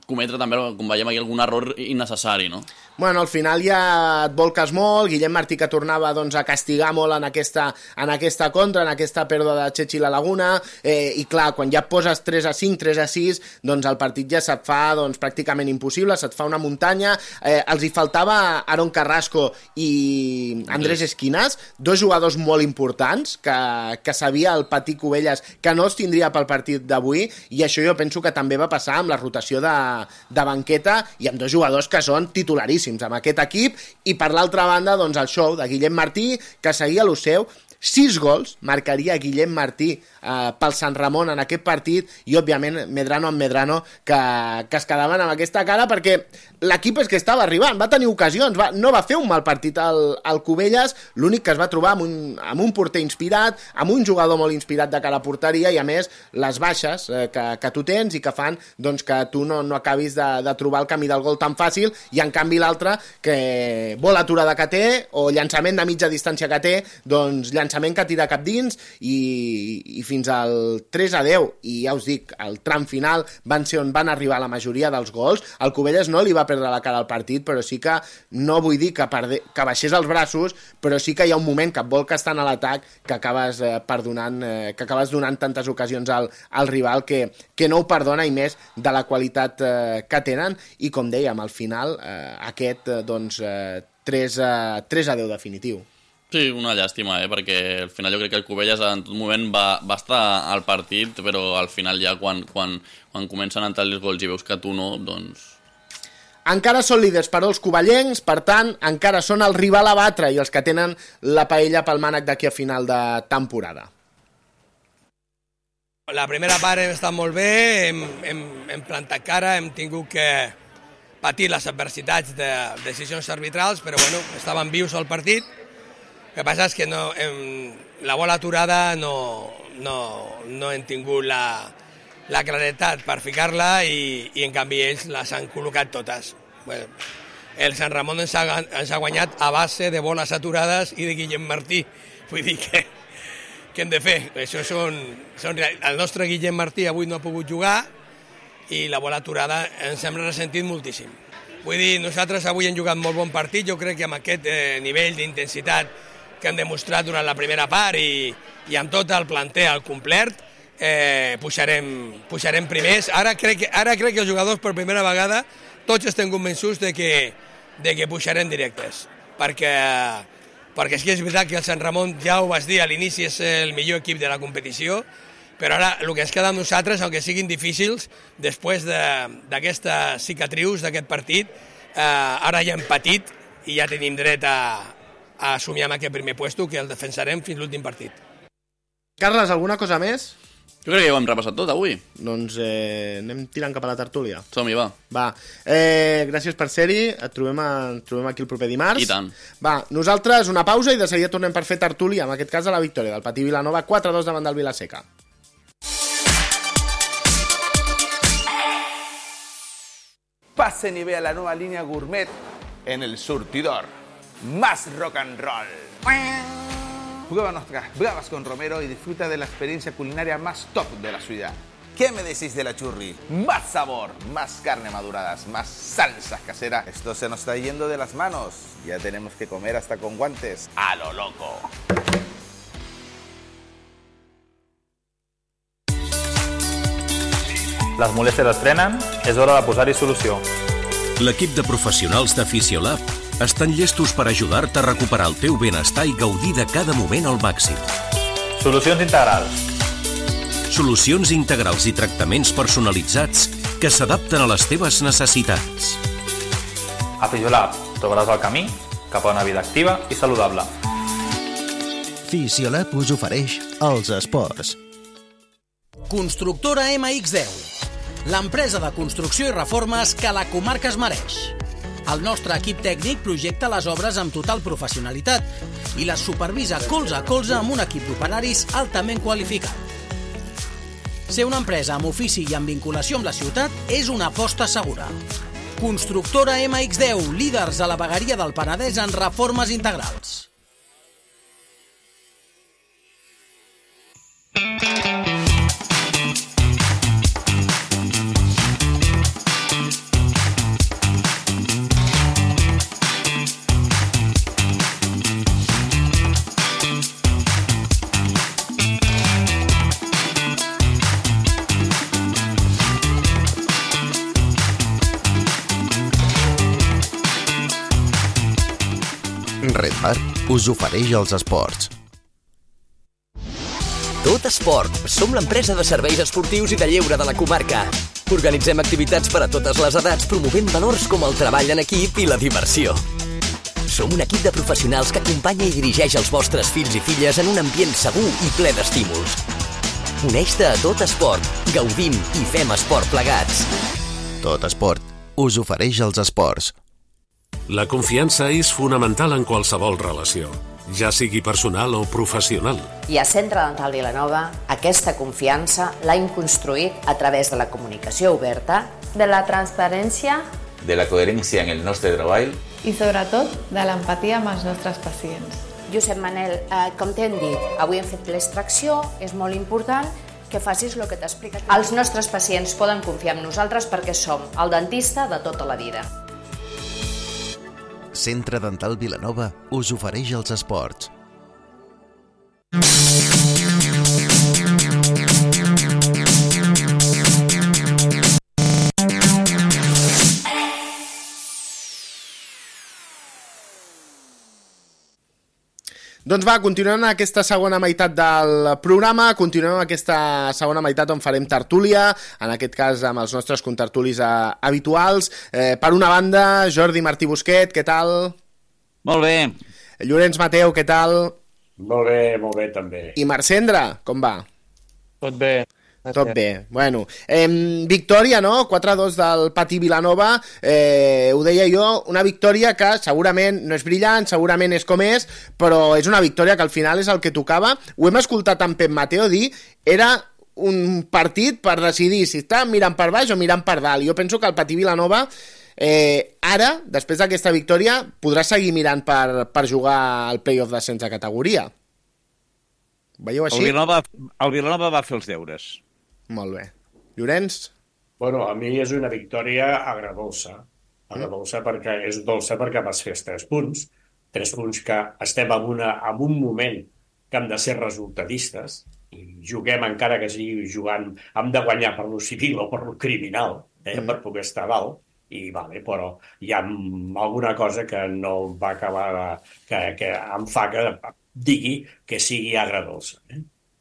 cometre també, com veiem aquí, algun error innecessari, no? Bueno, al final ja et volques molt, Guillem Martí que tornava doncs, a castigar molt en aquesta contra, en aquesta pèrdua de Chechi la Laguna, i clar, quan ja et poses 3-5, 3-6, doncs el partit ja se't fa doncs, pràcticament impossible, se't fa una muntanya. Els hi faltava Aaron Carrasco i Andrés Esquinas, dos jugadors molt importants, que sabia el Patí Cubelles que no els tindria pel partit d'avui, i això jo penso que també va passar amb la rotació de banqueta i amb dos jugadors que són titularíssims amb aquest equip, i per l'altra banda doncs el show de Guillem Martí, que seguia lo seu. 6 gols marcaria Guillem Martí pel Sant Ramon en aquest partit, i òbviament Medrano amb Medrano que es quedaven amb aquesta cara, perquè l'equip és que estava arribant, va tenir ocasions, no va fer un mal partit al Cubelles, l'únic que es va trobar amb un porter inspirat, amb un jugador molt inspirat de cara a porteria, i a més les baixes que tu tens i que fan doncs, que tu no acabis de trobar el camí del gol tan fàcil, i en canvi l'altre, que vol aturada que té o llançament de mitja distància que té, doncs llançament que tira cap dins, i fins al 3-10, i ja us dic, el tram final van ser on van arribar la majoria dels gols. El Cubelles no li va perdre la cara al partit, però sí que no vull dir que baixés els braços, però sí que hi ha un moment que et vol que estan a l'atac que acabes donant tantes ocasions al rival que no ho perdona, i més de la qualitat que tenen, i com dèiem, al final aquest doncs 3-10 definitiu. Sí, una llàstima, perquè al final jo crec que el Cubelles en tot moment va estar al partit, però al final ja quan comencen a entrar els gols i veus que tu no, doncs... Encara són líders, però els covellencs, per tant, encara són el rival a batre i els que tenen la paella pel mànec d'aquí a final de temporada. La primera part hem estat molt bé, hem plantat cara, hem tingut que patir les adversitats de decisions arbitrals, però bueno, estaven vius al partit. El que passa és que la bola aturada no hem tingut la claretat per ficar-la, i en canvi ells les han col·locat totes. Bueno, el Sant Ramon ens ha guanyat a base de boles aturades i de Guillem Martí. Vull dir que hem de fer. Això el nostre Guillem Martí avui no ha pogut jugar, i la bola aturada ens hem ressentit moltíssim. Vull dir, nosaltres avui hem jugat molt bon partit, jo crec que amb aquest nivell d'intensitat que han demostrat durant la primera part i amb tot el planter al complet, pujarem primers. Ara crec que els jugadors per primera vegada tots estem convençuts de que pujarem directes, perquè sí que és veritat que el Sant Ramon, ja ho vas dir a l'inici, és el millor equip de la competició, però ara el que ens queda amb nosaltres, aunque siguin difícils, després d'aquestes cicatrius d'aquest partit, ara ja hem patit i ja tenim dret a assumir amb aquest primer puesto, que el defensarem fins l'últim partit. Carles, alguna cosa més? Jo crec que ja ho hem repassat tot avui. Doncs anem tirant cap a la tertúlia. Som-hi, va. Gràcies per ser-hi, et trobem aquí el proper dimarts. I tant. Va, nosaltres una pausa i de seguida tornem per fer tertúlia, en aquest cas a la victòria del Patí Vilanova, 4-2 davant del Vilaseca. Pasen y vea la nueva línea gourmet en El Surtidor. más rock and roll. Prueba nuestras bravas con Romero y disfruta de la experiencia culinaria más top de la ciudad. ¿Qué me decís de la churri? Más sabor, más carne maduradas, más salsas caseras. Esto se nos está yendo de las manos. Ya tenemos que comer hasta con guantes. ¡A lo loco! Les molèsties es frenen, és hora de posar-hi solució. L'equip de professionals de Fisiolab estan llestos per ajudar-te a recuperar el teu benestar i gaudir de cada moment al màxim. Solucions integrals. Solucions integrals i tractaments personalitzats que s'adapten a les teves necessitats. A Fisiolab trobaràs el camí cap a una vida activa i saludable. Fisiolab us ofereix els esports. Constructora MX10, l'empresa de construcció i reformes que la comarca es mereix. El nostre equip tècnic projecta les obres amb total professionalitat i les supervisa colze a colze amb un equip d'operaris altament qualificat. Ser una empresa amb ofici i amb vinculació amb la ciutat és una aposta segura. Constructora MX10, líders a la vegueria del Penedès en reformes integrals. Red Bar us ofereix els esports. Tot Esport. Som l'empresa de serveis esportius i de lleure de la comarca. Organitzem activitats per a totes les edats, promovent valors com el treball en equip i la diversió. Som un equip de professionals que acompanya i dirigeix els vostres fills i filles en un ambient segur i ple d'estímuls. Uneix-te a Tot Esport. Gaudim i fem esport plegats. Tot Esport us ofereix els esports. La confiança és fonamental en qualsevol relació, ja sigui personal o professional. I a Centre Dental Vilanova aquesta confiança l'hem construït a través de la comunicació oberta, de la transparència, de la coherència en el nostre treball i sobretot de l'empatia amb els nostres pacients. Josep Manel, com t'hem dit, avui hem fet l'extracció, és molt important que facis el que t'ha explicat. Els nostres pacients poden confiar en nosaltres perquè som el dentista de tota la vida. Centre Dental Vilanova us ofereix els esports. Doncs va, continuem aquesta segona meitat del programa, continuem aquesta segona meitat on farem tertúlia, en aquest cas amb els nostres contertulis habituals. Per una banda, Jordi Martí Busquet, què tal? Molt bé. Llorenç Mateu, què tal? Molt bé també. I Marcendra, com va? Tot bé. Tot bé. Bueno, victòria, no? 4-2 del Patí Vilanova. Ho deia jo, una victòria que segurament no és brillant, segurament és com és, però és una victòria que al final és el que tocava. Ho hem escoltat en Pep Mateo dir, era un partit per decidir si està mirant per baix o mirant per dalt. Jo penso que el Patí Vilanova ara, després d'aquesta victòria, podrà seguir mirant per jugar al play-off d'ascens de categoria. Veieu així? El Vilanova va fer els deures. Molt bé. Llorenç? Bueno, a mi és una victòria agradolça. Agradolça perquè és dolça perquè vas fer 3 punts. 3 punts que estem en un moment que hem de ser resultadistes i juguem encara que sigui jugant, hem de guanyar per lo civil o per lo criminal, per poder estar a dalt. I vale, però hi ha alguna cosa que no va acabar que em fa que digui que sigui agradolça.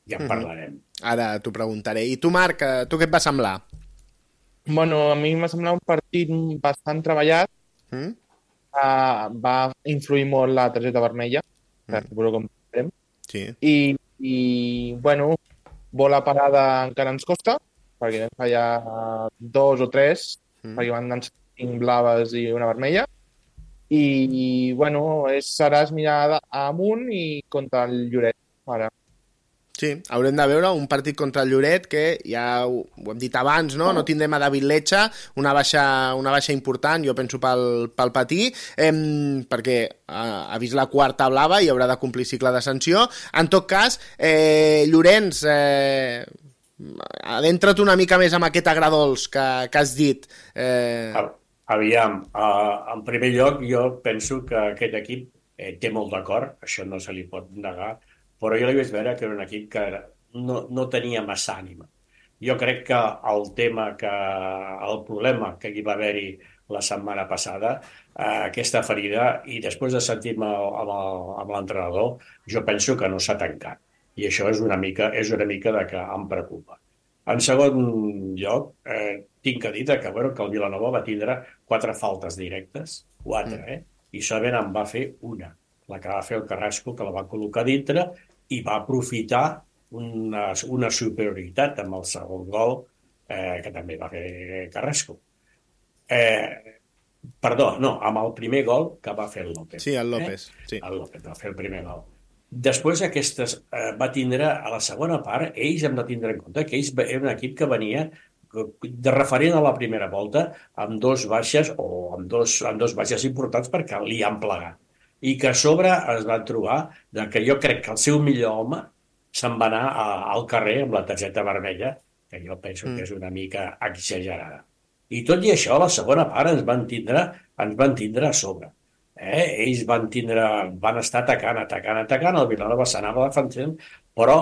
Ja en parlarem. Ara t'ho preguntaré. I tu, Marc, tu què et va semblar? Bueno, a mi m'ha semblat un partit bastant treballat. Va influir molt la targeta vermella, per veure com farem. Sí. I, bueno, bola parada encara ens costa, perquè vam fallar 2 o 3, perquè van anar 5 blaves i una vermella. I, bueno, seràs mirar amunt i contra el Lloret, ara. Sí, haurem de veure un partit contra el Lloret que ja ho hem dit abans, no tindrem a David Letxa, una baixa important, jo penso pel Patí, perquè ha vist la quarta blava i haurà de complir cicle de sanció. En tot cas, Llorenç, adentra't una mica més amb aquest agradols que has dit. Aviam, en primer lloc jo penso que aquest equip té molt d'acord, això no se li pot negar, però jo li vaig veure que era un equip que no tenia massa ànima. Jo crec que el problema que hi va haver-hi la setmana passada, aquesta ferida, i després de sentir-me amb l'entrenador, jo penso que no s'ha tancat. I això és una mica de que em preocupa. En segon lloc, tinc que dir que el Vilanova va tindre 4 faltes directes, 4, i solament en va fer una, la que va fer el Carrasco, que la va col·locar dintre i va aprofitar una superioritat amb el segon gol que també va fer Carrasco. Perdó, no, amb el primer gol que va fer el López. Sí, el López. Sí. El López va fer el primer gol. Després va tindre, a la segona part, ells hem de tindre en compte que ells era un equip que venia de referent a la primera volta amb 2 baixes o amb dos baixes importants perquè li han plegat. I que a sobre es van trobar que jo crec que el seu millor home se'n va anar al carrer amb la targeta vermella, que jo penso que és una mica exagerada. I tot i això, a la segona part ens van tindre a sobre. Ells van estar atacant, el Vilanova s'anava defensant, però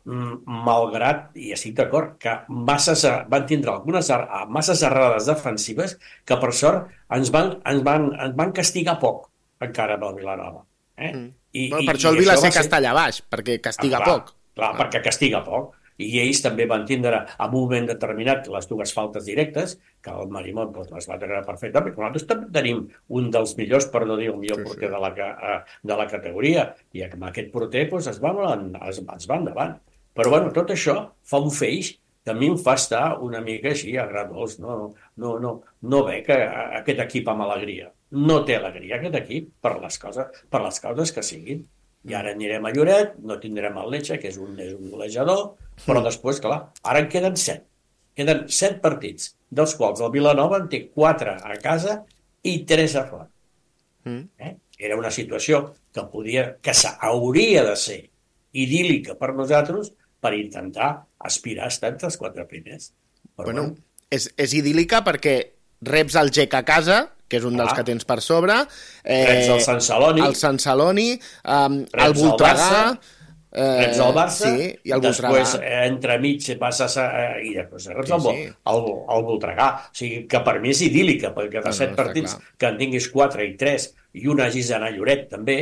malgrat, i estic d'acord, que van tindre algunes masses errades defensives que per sort ens van castigar poc encara amb el Vilanova. Per això el Vilaseca està allà baix, perquè castiga poc. Clar, perquè castiga poc. I ells també van tindre en un moment determinat les 2 faltes directes, que el Marimón les va treure perfectament, però nosaltres també tenim un dels millors, per no dir el millor porter de la categoria, i amb aquest porter es va endavant. Però bueno, tot això fa un feix que a mi em fa estar una mica així agradós, no ve que aquest equip amb alegria. No té alegria aquest equip per les causes que siguin. I ara anirem a Lloret, no tindrem el Letxa, que és un golejador, però després, clar, ara en queden 7. Queden 7 partits, dels quals el Vilanova en té 4 a casa i 3 a fora. Era una situació que hauria de ser idíl·lica per nosaltres per intentar aspirar a estar entre els 4 primers. Bueno, és idíl·lica perquè reps el GEC a casa, que és un dels que tens per sobre, reps el Sant Celoni, el Voltregà, reps el Barça, sí, i el Voltregà. Després entremig passes i després reps el Voltregà. O sigui que per mi és idíl·lica, perquè de 7 partits que en tinguis 4 i 3 i un hagis d'anar a Lloret també,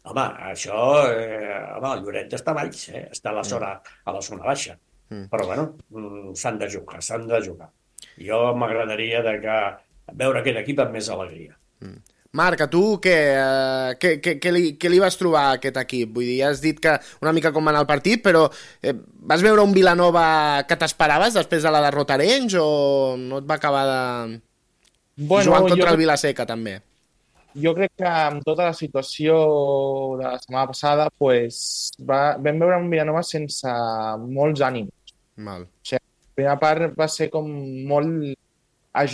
home, això, el Lloret està baix, està a la zona baixa. Però bueno, s'han de jugar. Jo m'agradaria veure aquest equip amb més alegria. Marc, a tu què li vas trobar a aquest equip? Vull dir, ja has dit que una mica com va anar el partit, però vas veure un Vilanova que t'esperaves després de la derrota a Arenys o no et va acabar de... jugant contra el Vilaseca, també? Jo crec que amb tota la situació de la setmana passada vam veure un Vilanova sense molts ànims. Mal. O sigui, la primera part va ser com molt a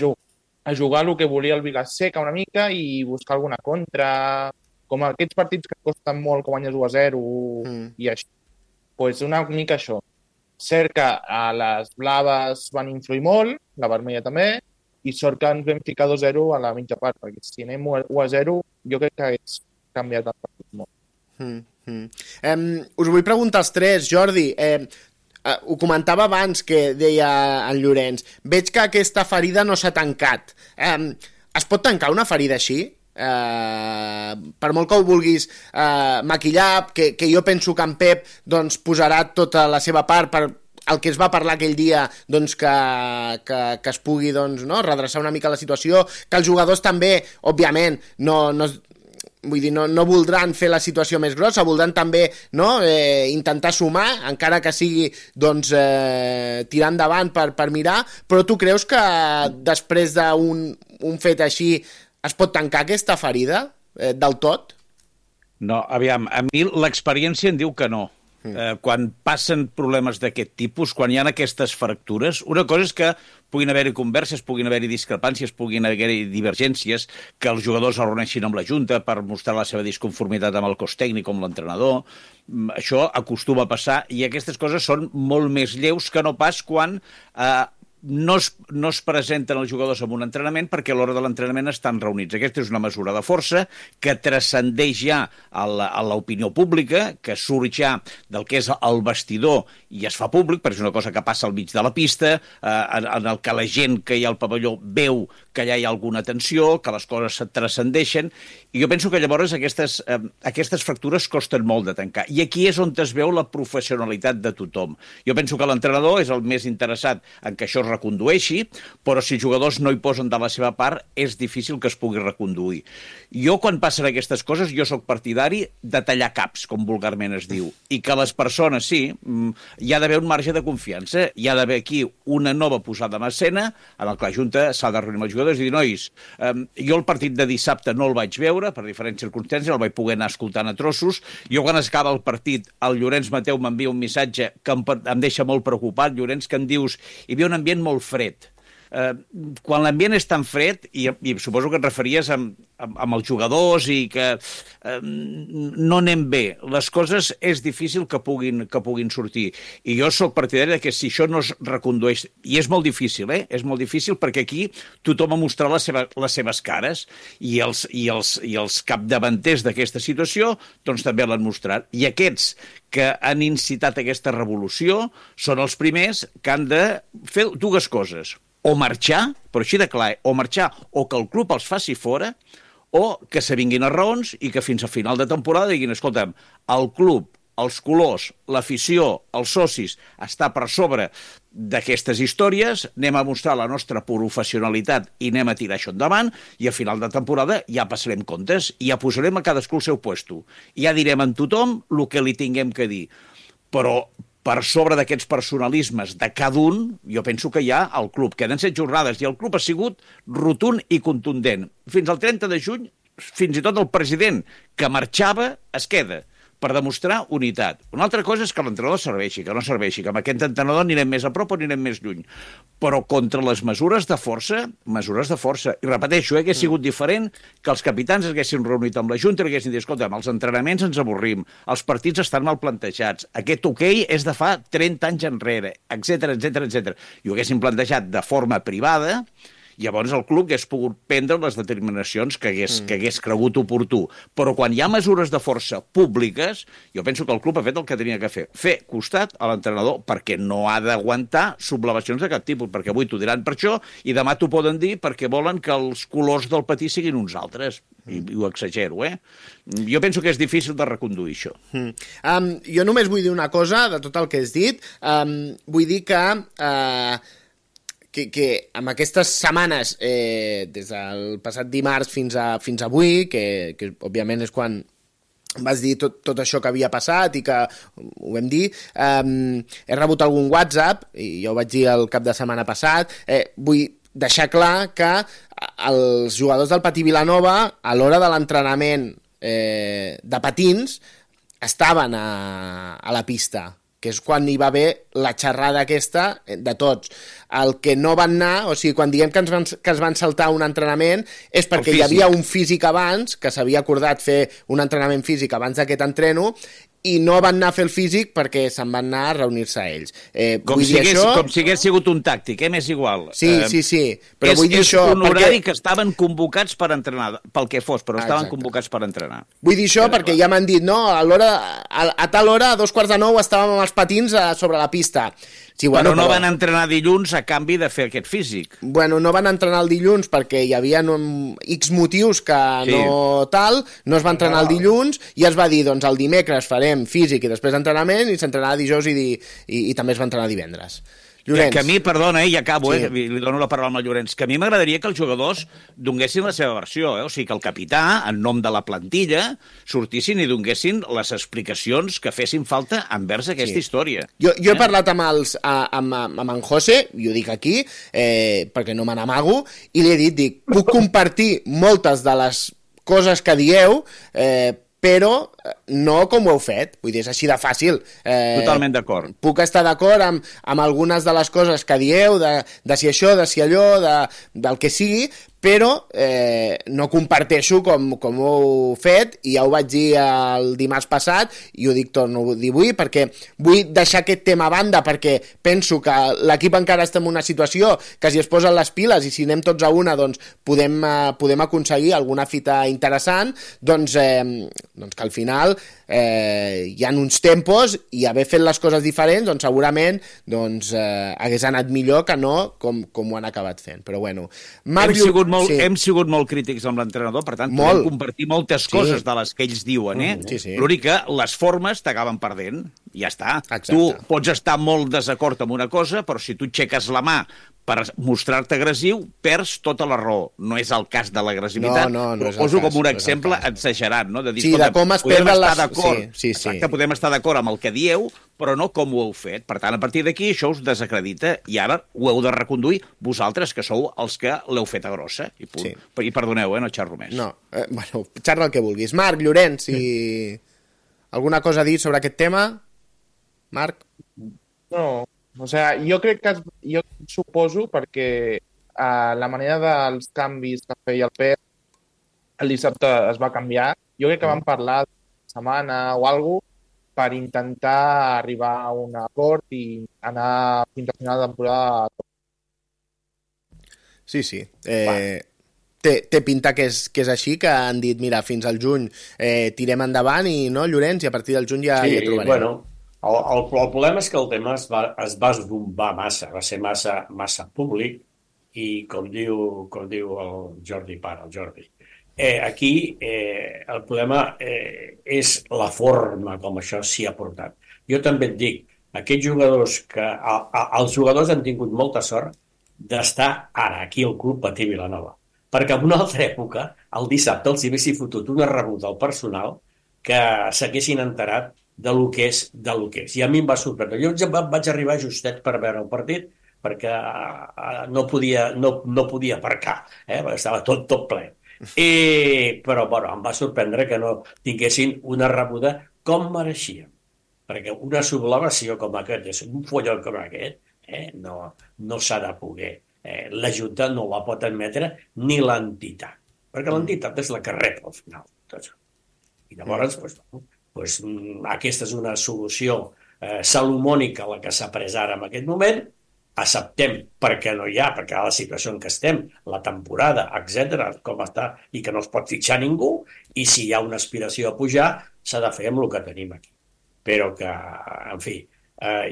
jugar el que volia el Vilaseca una mica i buscar alguna contra, com aquests partits que costen molt, que guanyes 1-0 i així. Doncs una mica això. Cert que les blaves van influir molt, la vermella també, i sort que ens vam ficar 2-0 a la mitja part, perquè si anem 1-0 jo crec que hagués canviat el partit molt. Us vull preguntar als 3, Jordi, ho comentava abans que deia en Llorenç, veig que aquesta ferida no s'ha tancat. Es pot tancar una ferida així? Per molt que ho vulguis maquillar, que jo penso que en Pep posarà tota la seva part per el que es va parlar aquell dia, que es pugui redreçar una mica la situació, que els jugadors també, òbviament, no voldran fer la situació més grossa, voldran també intentar sumar, encara que sigui tirar endavant per mirar, però tu creus que després d'un fet així es pot tancar aquesta ferida del tot? No, aviam, a mi l'experiència em diu que no. Quan passen problemes d'aquest tipus, quan hi ha aquestes fractures, una cosa és que puguin haver-hi converses, puguin haver-hi discrepàncies, puguin haver-hi divergències, que els jugadors es reuneixin amb la Junta per mostrar la seva disconformitat amb el cos tècnic, amb l'entrenador. Això acostuma a passar i aquestes coses són molt més lleus que no pas quan no es presenten els jugadors en un entrenament perquè a l'hora de l'entrenament estan reunits. Aquesta és una mesura de força que transcendeix ja a l'opinió pública, que surt ja del que és el vestidor i es fa públic, perquè és una cosa que passa al mig de la pista, en el que la gent que hi ha al pavelló veu que allà hi ha alguna tensió, que les coses se transcendeixen, i jo penso que llavors aquestes fractures costen molt de tancar. I aquí és on es veu la professionalitat de tothom. Jo penso que l'entrenador és el més interessat en que això es recondueixi, però si els jugadors no hi posen de la seva part, és difícil que es pugui reconduir. Jo, quan passen aquestes coses, jo sóc partidari de tallar caps, com vulgarment es diu, i que les persones, sí, hi ha d'haver un marge de confiança, hi ha d'haver aquí una nova posada en escena, en el que la Junta s'ha de reunir amb els jugadors i dir, nois, jo el partit de dissabte no el vaig veure, per diferents circumstàncies, el vaig poder anar escoltant a trossos, jo quan es acaba el partit, el Llorenç Mateu m'envia un missatge que em deixa molt preocupat, Llorenç, que em dius, hi havia un ambient molt fred. Quan l'ambient és tan fred, i suposo que et referies amb els jugadors i que no anem bé, les coses és difícil que puguin sortir. I jo sóc partidari que si això no es recondueix, i és molt difícil, és molt difícil perquè aquí tothom ha mostrat les seves cares i els capdavanters d'aquesta situació doncs també l'han mostrat. I aquests que han incitat aquesta revolució són els primers que han de fer dues coses. O marxar, però així de clar, o marxar o que el club els faci fora, o que se vinguin a raons i que fins a final de temporada diguin, escolta'm, el club, els colors, l'afició, els socis, està per sobre d'aquestes històries, anem a mostrar la nostra professionalitat i anem a tirar això endavant, i a final de temporada ja passarem comptes i ja posarem a cadascú el seu puesto. I ja direm a tothom el que li tinguem que dir. Però per sobre d'aquests personalismes de cada un, jo penso que hi ha el club. Queden 7 jornades i el club ha sigut rotund i contundent. Fins al 30 de juny, fins i tot el president que marxava es queda per demostrar unitat. Una altra cosa és que l'entrenador serveixi, que no serveixi, que amb aquest entrenador anirem més a prop o anirem més lluny. Però contra les mesures de força, I repeteixo, hagués sigut diferent que els capitans haguessin reunit amb la Junta i haguessin dit, escolta, amb els entrenaments ens avorrim, els partits estan mal plantejats, aquest hoquei és de fa 30 anys enrere, etc. I ho haguessin plantejat de forma privada, llavors el club hagués pogut prendre les determinacions que hagués cregut oportú. Però quan hi ha mesures de força públiques, jo penso que el club ha fet el que tenia que fer costat a l'entrenador, perquè no ha d'aguantar sublevacions de cap tipus, perquè avui t'ho diran per això i demà t'ho poden dir perquè volen que els colors del patí siguin uns altres. I ho exagero, Jo penso que és difícil de reconduir això. Jo només vull dir una cosa de tot el que has dit. Vull dir que amb aquestes setmanes, des del passat dimarts fins avui, que òbviament és quan vas dir tot això que havia passat i que ho vam dir, he rebut algun WhatsApp, i jo ho vaig dir el cap de setmana passat, vull deixar clar que els jugadors del Patí Vilanova, a l'hora de l'entrenament de patins, estaven a la pista, que és quan hi va haver la xerrada aquesta de tots. El que no van anar, o sigui, quan diem que es van saltar un entrenament, és perquè hi havia un físic abans, que s'havia acordat fer un entrenament físic abans d'aquest entreno, i no van anar a fer el físic perquè se'n van anar a reunir-se a ells. Com si hagués sigut un tàctic, m'és igual. Sí. Però vull dir això... És un horari que estaven convocats per entrenar, pel que fos, però estaven convocats per entrenar. Vull dir això perquè ja m'han dit, no, a tal hora, a 8:45, estàvem amb els patins sobre la pista. Sí, però no van entrenar dilluns a canvi de fer aquest físic. Bueno, no van entrenar el dilluns perquè hi havia X motius que no tal, no es va entrenar el dilluns i es va dir, doncs el dimecres farem físic i després entrenament, i s'entrenarà dijous i també es va entrenar divendres. Llorenç. Que a mi, perdona, i acabo, li dono la paraula al Llorenç, que a mi m'agradaria que els jugadors donguessin la seva versió, o sigui, que el capità, en nom de la plantilla, sortissin i donguessin les explicacions que fessin falta envers aquesta història. Jo he parlat amb en José, i ho dic aquí, perquè no me n'amago, i li he dit, puc compartir moltes de les coses que dieu, però no com ho heu fet, vull dir, és així de fàcil. Totalment d'acord. Puc estar d'acord amb algunes de les coses que dieu, de si això, de si allò, del que sigui, però no comparteixo com ho heu fet, i ja ho vaig dir el dimarts passat, i ho torno a dir avui, perquè vull deixar aquest tema a banda, perquè penso que l'equip encara està en una situació que si es posen les piles i si anem tots a una, doncs podem aconseguir alguna fita interessant, doncs que al final hi ha uns tempos, i haver fet les coses diferents, doncs segurament hagués anat millor que no com ho han acabat fent. Però bueno, hem sigut molt crítics amb l'entrenador, per tant, podem compartir moltes coses de les que ells diuen, l'únic que les formes t'acaben perdent, i ja està. Exacte. Tu pots estar molt desacord amb una cosa, però si tu aixeques la mà per mostrar-te agressiu, perds tota la raó. No és el cas de l'agressivitat. No és el cas. Poso com un exemple exagerat, no? De dir, de com es perden les... Exacte, podem estar d'acord amb el que dieu, però no com ho heu fet. Per tant, a partir d'aquí, això us desacredita, i ara ho heu de reconduir vosaltres, que sou els que l'heu fet a grossa. I punt. I perdoneu, no xerro més. No, xerra el que vulguis. Marc, Llorenç, alguna cosa a dir sobre aquest tema? Marc? No, jo crec que jo suposo, perquè la manera dels canvis que feia el Pep el dissabte es va canviar. Jo crec que vam parlar de setmana o alguna cosa per intentar arribar a un acord i anar fins al final de temporada. Sí. Té pinta que és així, que han dit, mira, fins al juny tirem endavant, i no, Llorenç, i a partir del juny ja trobarem. Bueno, el problema és que el tema es va esbombar massa, va ser massa públic, i com diu el Jordi Pare, el Jordi, aquí el problema és la forma com això s'hi ha portat. Jo també et dic, aquests jugadors els jugadors han tingut molta sort d'estar ara aquí al club Patí Vilanova, perquè en una altra època, el dissabte, els hi haguessin fotut una rebuda al personal que s'haguessin enterat de lo que és. I a mi em va sorprendre. Jo vaig arribar justet per veure el partit, perquè no podia aparcar, estava tot ple. Però em va sorprendre que no tinguessin una rebuda com mereixien, perquè una sublevació com aquest, un follon com aquest, no s'ha de poder. La Junta no la pot admetre, ni l'entitat, perquè l'entitat és la que rep al final. I llavors, aquesta és una solució salomònica la que s'ha pres ara en aquest moment. Acceptem perquè no hi ha, perquè la situació en què estem, la temporada, etc., com està, i que no es pot fitxar ningú, i si hi ha una aspiració a pujar, s'ha de fer amb el que tenim aquí. Però que, en fi,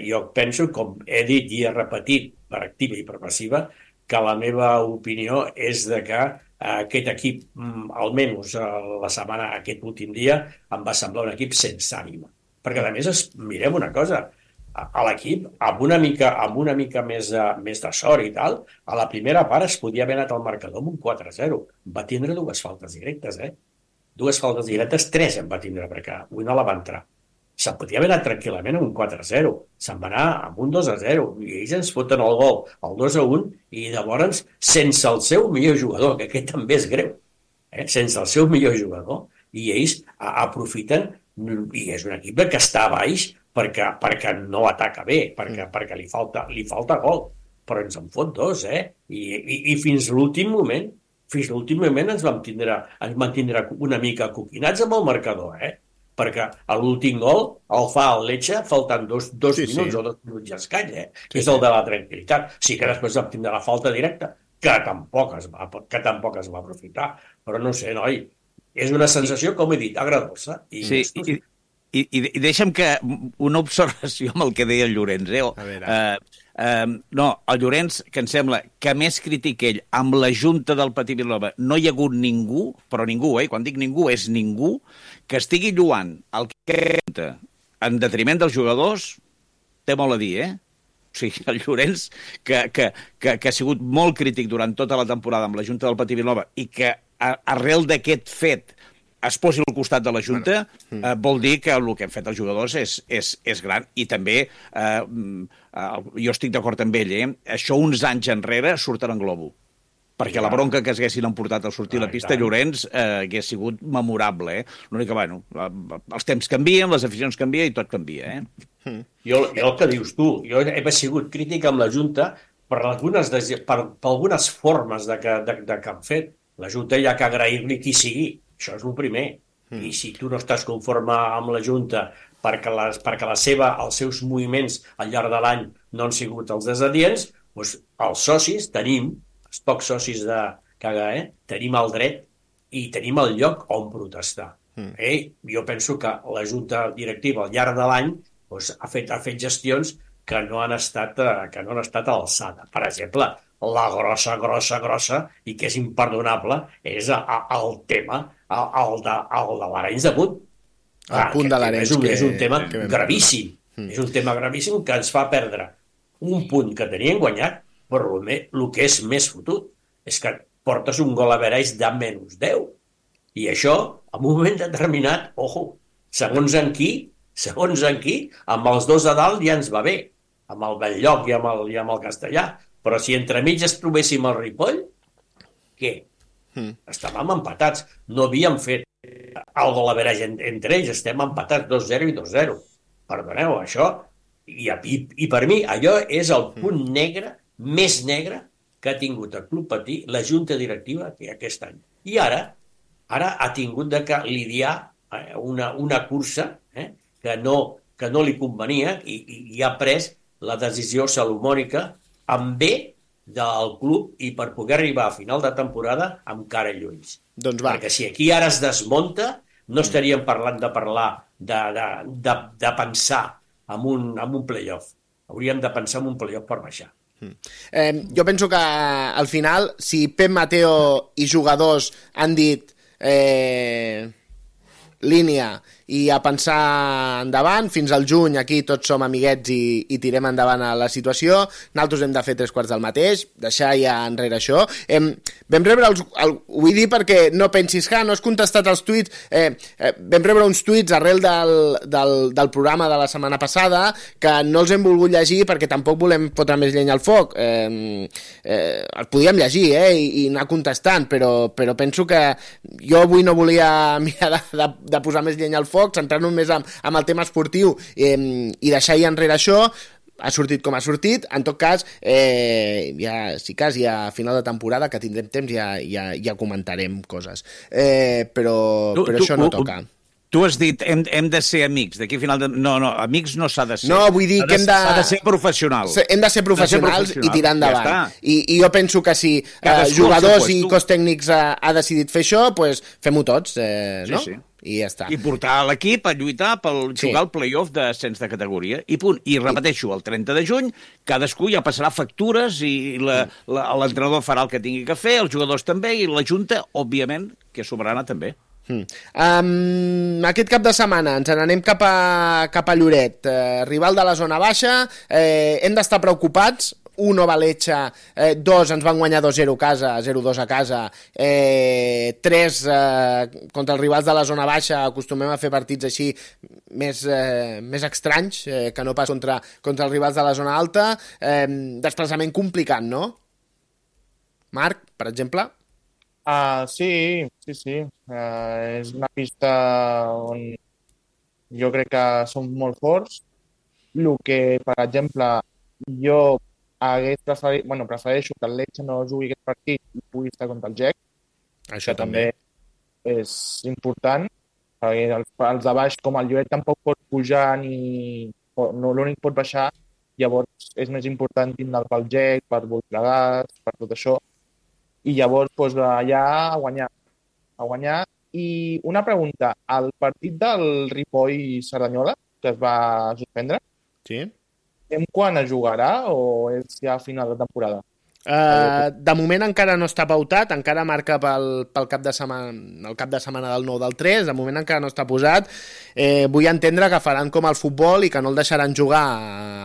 jo penso, com he dit i he repetit per activa i per passiva, que la meva opinió és de que aquest equip, almenys la setmana, aquest últim dia, em va semblar un equip sense ànima. Perquè, a més, mirem una cosa, a l'equip, amb una mica més de sort i tal, a la primera part es podia haver anat al marcador amb un 4-0. Va tindre dues faltes directes, Dues faltes directes, 3 en va tindre, perquè una la va entrar. Se'n podia haver anat tranquil·lament amb un 4-0, se'n va anar amb un 2-0, i ells ens foten el gol, el 2-1, i llavors, sense el seu millor jugador, que aquest també és greu, sense el seu millor jugador, i ells aprofiten, i és un equip que està a baix perquè no ataca bé, perquè li falta gol, però ens en fot 2, i fins l'últim moment ens vam tindre una mica coquinats amb el marcador, perquè l'últim gol el fa el Lecce faltant dos minuts o 2 minuts i escany, que és el de la tranquil·litat. Sí que després vam tindre la falta directa, que tampoc es va aprofitar, però no sé, noi, és una sensació, com he dit, agradadosa. I deixa'm que una observació amb el que deia el Llorenç. No, el Llorenç, que em sembla que més crític ell amb la Junta del Patí Vilanova, no hi ha hagut ningú, però ningú, quan dic ningú és ningú, que estigui lluant el que en detriment dels jugadors, té molt a dir, O sigui, el Llorenç, que ha sigut molt crític durant tota la temporada amb la Junta del Patí Vilanova i que arrel d'aquest fet es posi al costat de la Junta, vol dir que el que han fet els jugadors és gran. I també, jo estic d'acord amb ell, això uns anys enrere surten en globo. perquè la bronca que s'haguessin emportat al sortir a la pista Llorenç hagués sigut memorable. L'únic que, bueno, els temps canvien, les aficions canvien i tot canvia. Jo el que dius tu, jo he sigut crític amb la Junta per algunes formes que han fet. La Junta hi ha que agrair-li qui sigui, això és el primer. I si tu no estàs conforme amb la Junta perquè els seus moviments al llarg de l'any no han sigut els desadients, doncs els socis tenim, els pocs socis tenim el dret i tenim el lloc on protestar. Jo penso que la Junta Directiva al llarg de l'any ha fet gestions que no han estat a l'alçada. Per exemple, la grossa, i que és imperdonable, és el tema, el de l'Arenys de Munt. El punt de l'Arenys. És un tema gravíssim. És un tema gravíssim que ens fa perdre un punt que tenien guanyat, però el que és més fotut és que portes un gol average de -10. I això, en un moment determinat, segons en qui, amb els dos a dalt ja ens va bé, amb el Belllloc i amb el Castellà. Però si entremig es trobéssim el Ripoll, què? Estàvem empatats. No havíem fet el gol average entre ells, estem empatats 2-0 i 2-0. Perdoneu, això... I per mi allò és el punt negre, més negre, que ha tingut el Club Patí, la Junta Directiva aquest any. I ara ha tingut de lidiar una cursa que no li convenia i ha pres la decisió salomònica en bé del club i per poder arribar a final de temporada amb cara i ulls. Perquè si aquí ara es desmunta, no estaríem parlant de pensar en un play-off. Hauríem de pensar en un play-off per baixar. Jo penso que al final, si Pep Mateo i jugadors han dit línia i a pensar endavant, fins al juny aquí tots som amiguets i tirem endavant a la situació, nosaltres hem de fer 3/4 del mateix, deixar ja enrere això. Vam rebre ho vull dir perquè no pensis que no has contestat els tuits, vam rebre uns tuits arrel del programa de la setmana passada que no els hem volgut llegir perquè tampoc volem fotre més llenya al foc. Els podíem llegir i anar contestant, però penso que jo avui no volia mirar de posar més llenya al foc, centrar-nos més en el tema esportiu i deixar ja enrere això. Ha sortit com ha sortit. En tot cas, ja a final de temporada, que tindrem temps, ja comentarem coses. Però això no toca. Tu has dit, hem de ser amics, d'aquí a final de... No, amics no s'ha de ser. No, vull dir que s'ha de ser professionals. Hem de ser professionals i tirar endavant. I jo penso que si jugadors i cos tècnics ha decidit fer això, doncs fem-ho tots, no? Sí. I ja està. I portar l'equip a lluitar per jugar al play-off d'ascens de categoria. I punt. I repeteixo, el 30 de juny, cadascú ja passarà factures i l'entrenador farà el que tingui que fer, els jugadors també, i la Junta, òbviament, que és soberana també. Aquest cap de setmana ens n'anem cap a Lloret, rival de la zona baixa. Hem d'estar preocupats. 1 Valetxa, 2 ens van guanyar 2-0 a casa, 0-2 a casa, 3 contra els rivals de la zona baixa. Acostumem a fer partits així més estranys que no pas contra els rivals de la zona alta. Desplaçament complicat, no? Marc, per exemple? Sí. És una pista on jo crec que som molt forts. El que, per exemple, jo prefereixo que el Lecce no jugui aquest partit i pugui estar contra el GEC. Això també és important, perquè els de baix, com el Lloret, tampoc pot pujar l'únic pot baixar, llavors és més important tindre pel GEC, per Voltregàs, per tot això, i llavors allà a guanyar. I una pregunta, el partit del Ripoll-Cerdanyola, que es va suspendre, sí. Quan es jugarà o és ja a final de temporada? De moment encara no està pautat, encara marca pel cap de setmana del 9 del 3, de moment encara no està posat. Vull entendre que faran com el futbol i que no el deixaran jugar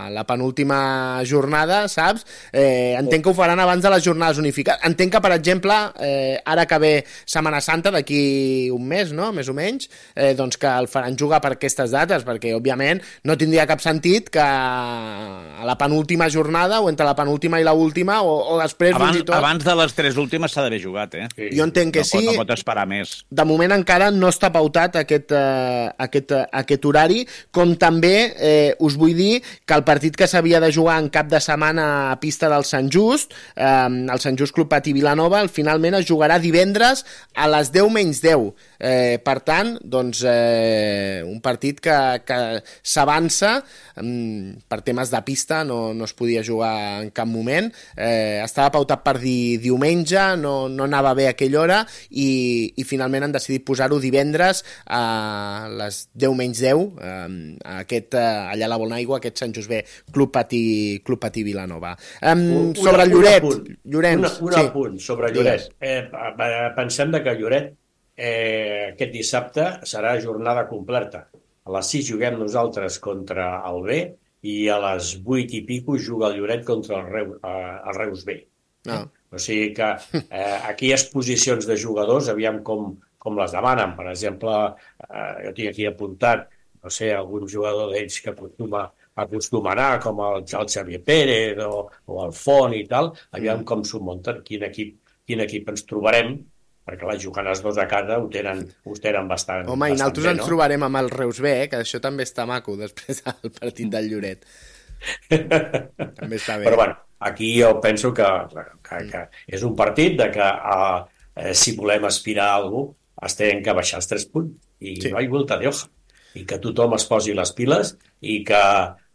a la penúltima jornada, saps? Entenc que ho faran abans de les jornades unificades. Entenc que, per exemple, ara que ve Setmana Santa, d'aquí un mes, no? Més o menys, doncs que el faran jugar per aquestes dates, perquè, òbviament, no tindria cap sentit que a la penúltima jornada o entre la penúltima i l'última o o després fins i tot... Abans de les 3 últimes s'ha d'haver jugat, Jo entenc que sí. No pot esperar més. De moment encara no està pautat aquest horari, com també us vull dir que el partit que s'havia de jugar en cap de setmana a pista del Sant Just, el Sant Just Club Patí Vilanova, finalment es jugarà divendres a les 10:10. Per tant, doncs, un partit que s'avança per temes de pista, no es podia jugar en cap moment, estava pautat per diumenge, no anava bé a aquella hora i finalment han decidit posar-ho divendres a les 10:10 allà a la Bonaigua, aquest Sant Josep Club Patí Vilanova. Sobre el Lloret, un apunt sobre Lloret. Pensem que Lloret aquest dissabte serà jornada completa. A les 6 juguem nosaltres contra el B i a les 8 i pico juga el Lloret contra el Reus B. O sigui que aquí hi ha posicions de jugadors, aviam com les demanen. Per exemple, jo tinc aquí apuntat, no sé, algun jugador d'ells que acostuma a anar, com el Xavier Pérez o el Font i tal, aviam com s'ho munten, quin equip ens trobarem, perquè jugant els dos a casa ho tenen bastant. Home, i nosaltres ens trobarem amb el Reus B, que això també està maco, després del partit del Lloret. També està bé. Però bueno, aquí jo penso que és un partit de que si volem aspirar a alguna cosa, es tenen que baixar els 3 punts, i no hi ha vuelta de hoja, i que tothom es posi les piles, i que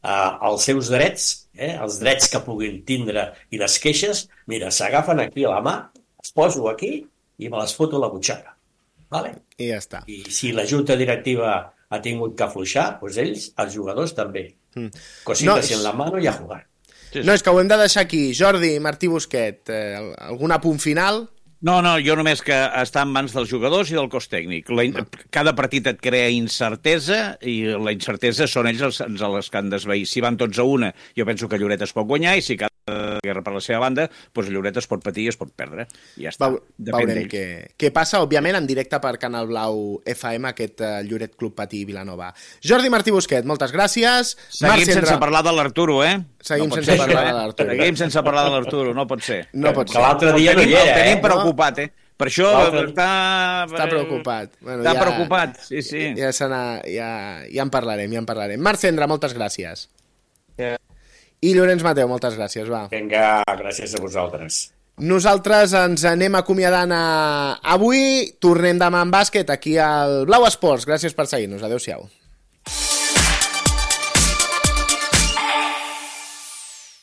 els seus drets, els drets que puguin tindre i les queixes, mira, s'agafen aquí a la mà, es poso aquí, i me les foto a la butxaca. Vale? I ja està. I si la junta directiva ha tingut que afluixar, doncs ells, els jugadors també. Cositas en la mano i a jugar. No, és que ho hem de deixar aquí. Jordi, Martí Busquet, algun apunt final? No, jo només que està en mans dels jugadors i del cos tècnic. Cada partit et crea incertesa i la incertesa són ells els que han d'esvair. Si van tots a una, jo penso que Lloret es pot guanyar, i si cada guerra per la seva banda, doncs Lloret es pot patir i es pot perdre. I ja està. Veurem què passa, òbviament, en directe per Canal Blau FM, aquest Lloret Club Patí Vilanova. Jordi Martí Busquet, moltes gràcies. Seguim sense parlar de l'Arturo, Seguim sense parlar de l'Arturo. Seguim sense parlar de l'Arturo, no pot ser. No pot ser. Que l'altre dia no hi era, tenim preocupat, Per això està preocupat. Està preocupat, sí. Ja en parlarem. Marc Cendra, moltes gràcies. I Llorenç Mateu, moltes gràcies, va. Vinga, gràcies a vosaltres. Nosaltres ens anem acomiadant avui. Tornem demà en bàsquet aquí al Blau Esports. Gràcies per seguir-nos. Adéu-siau.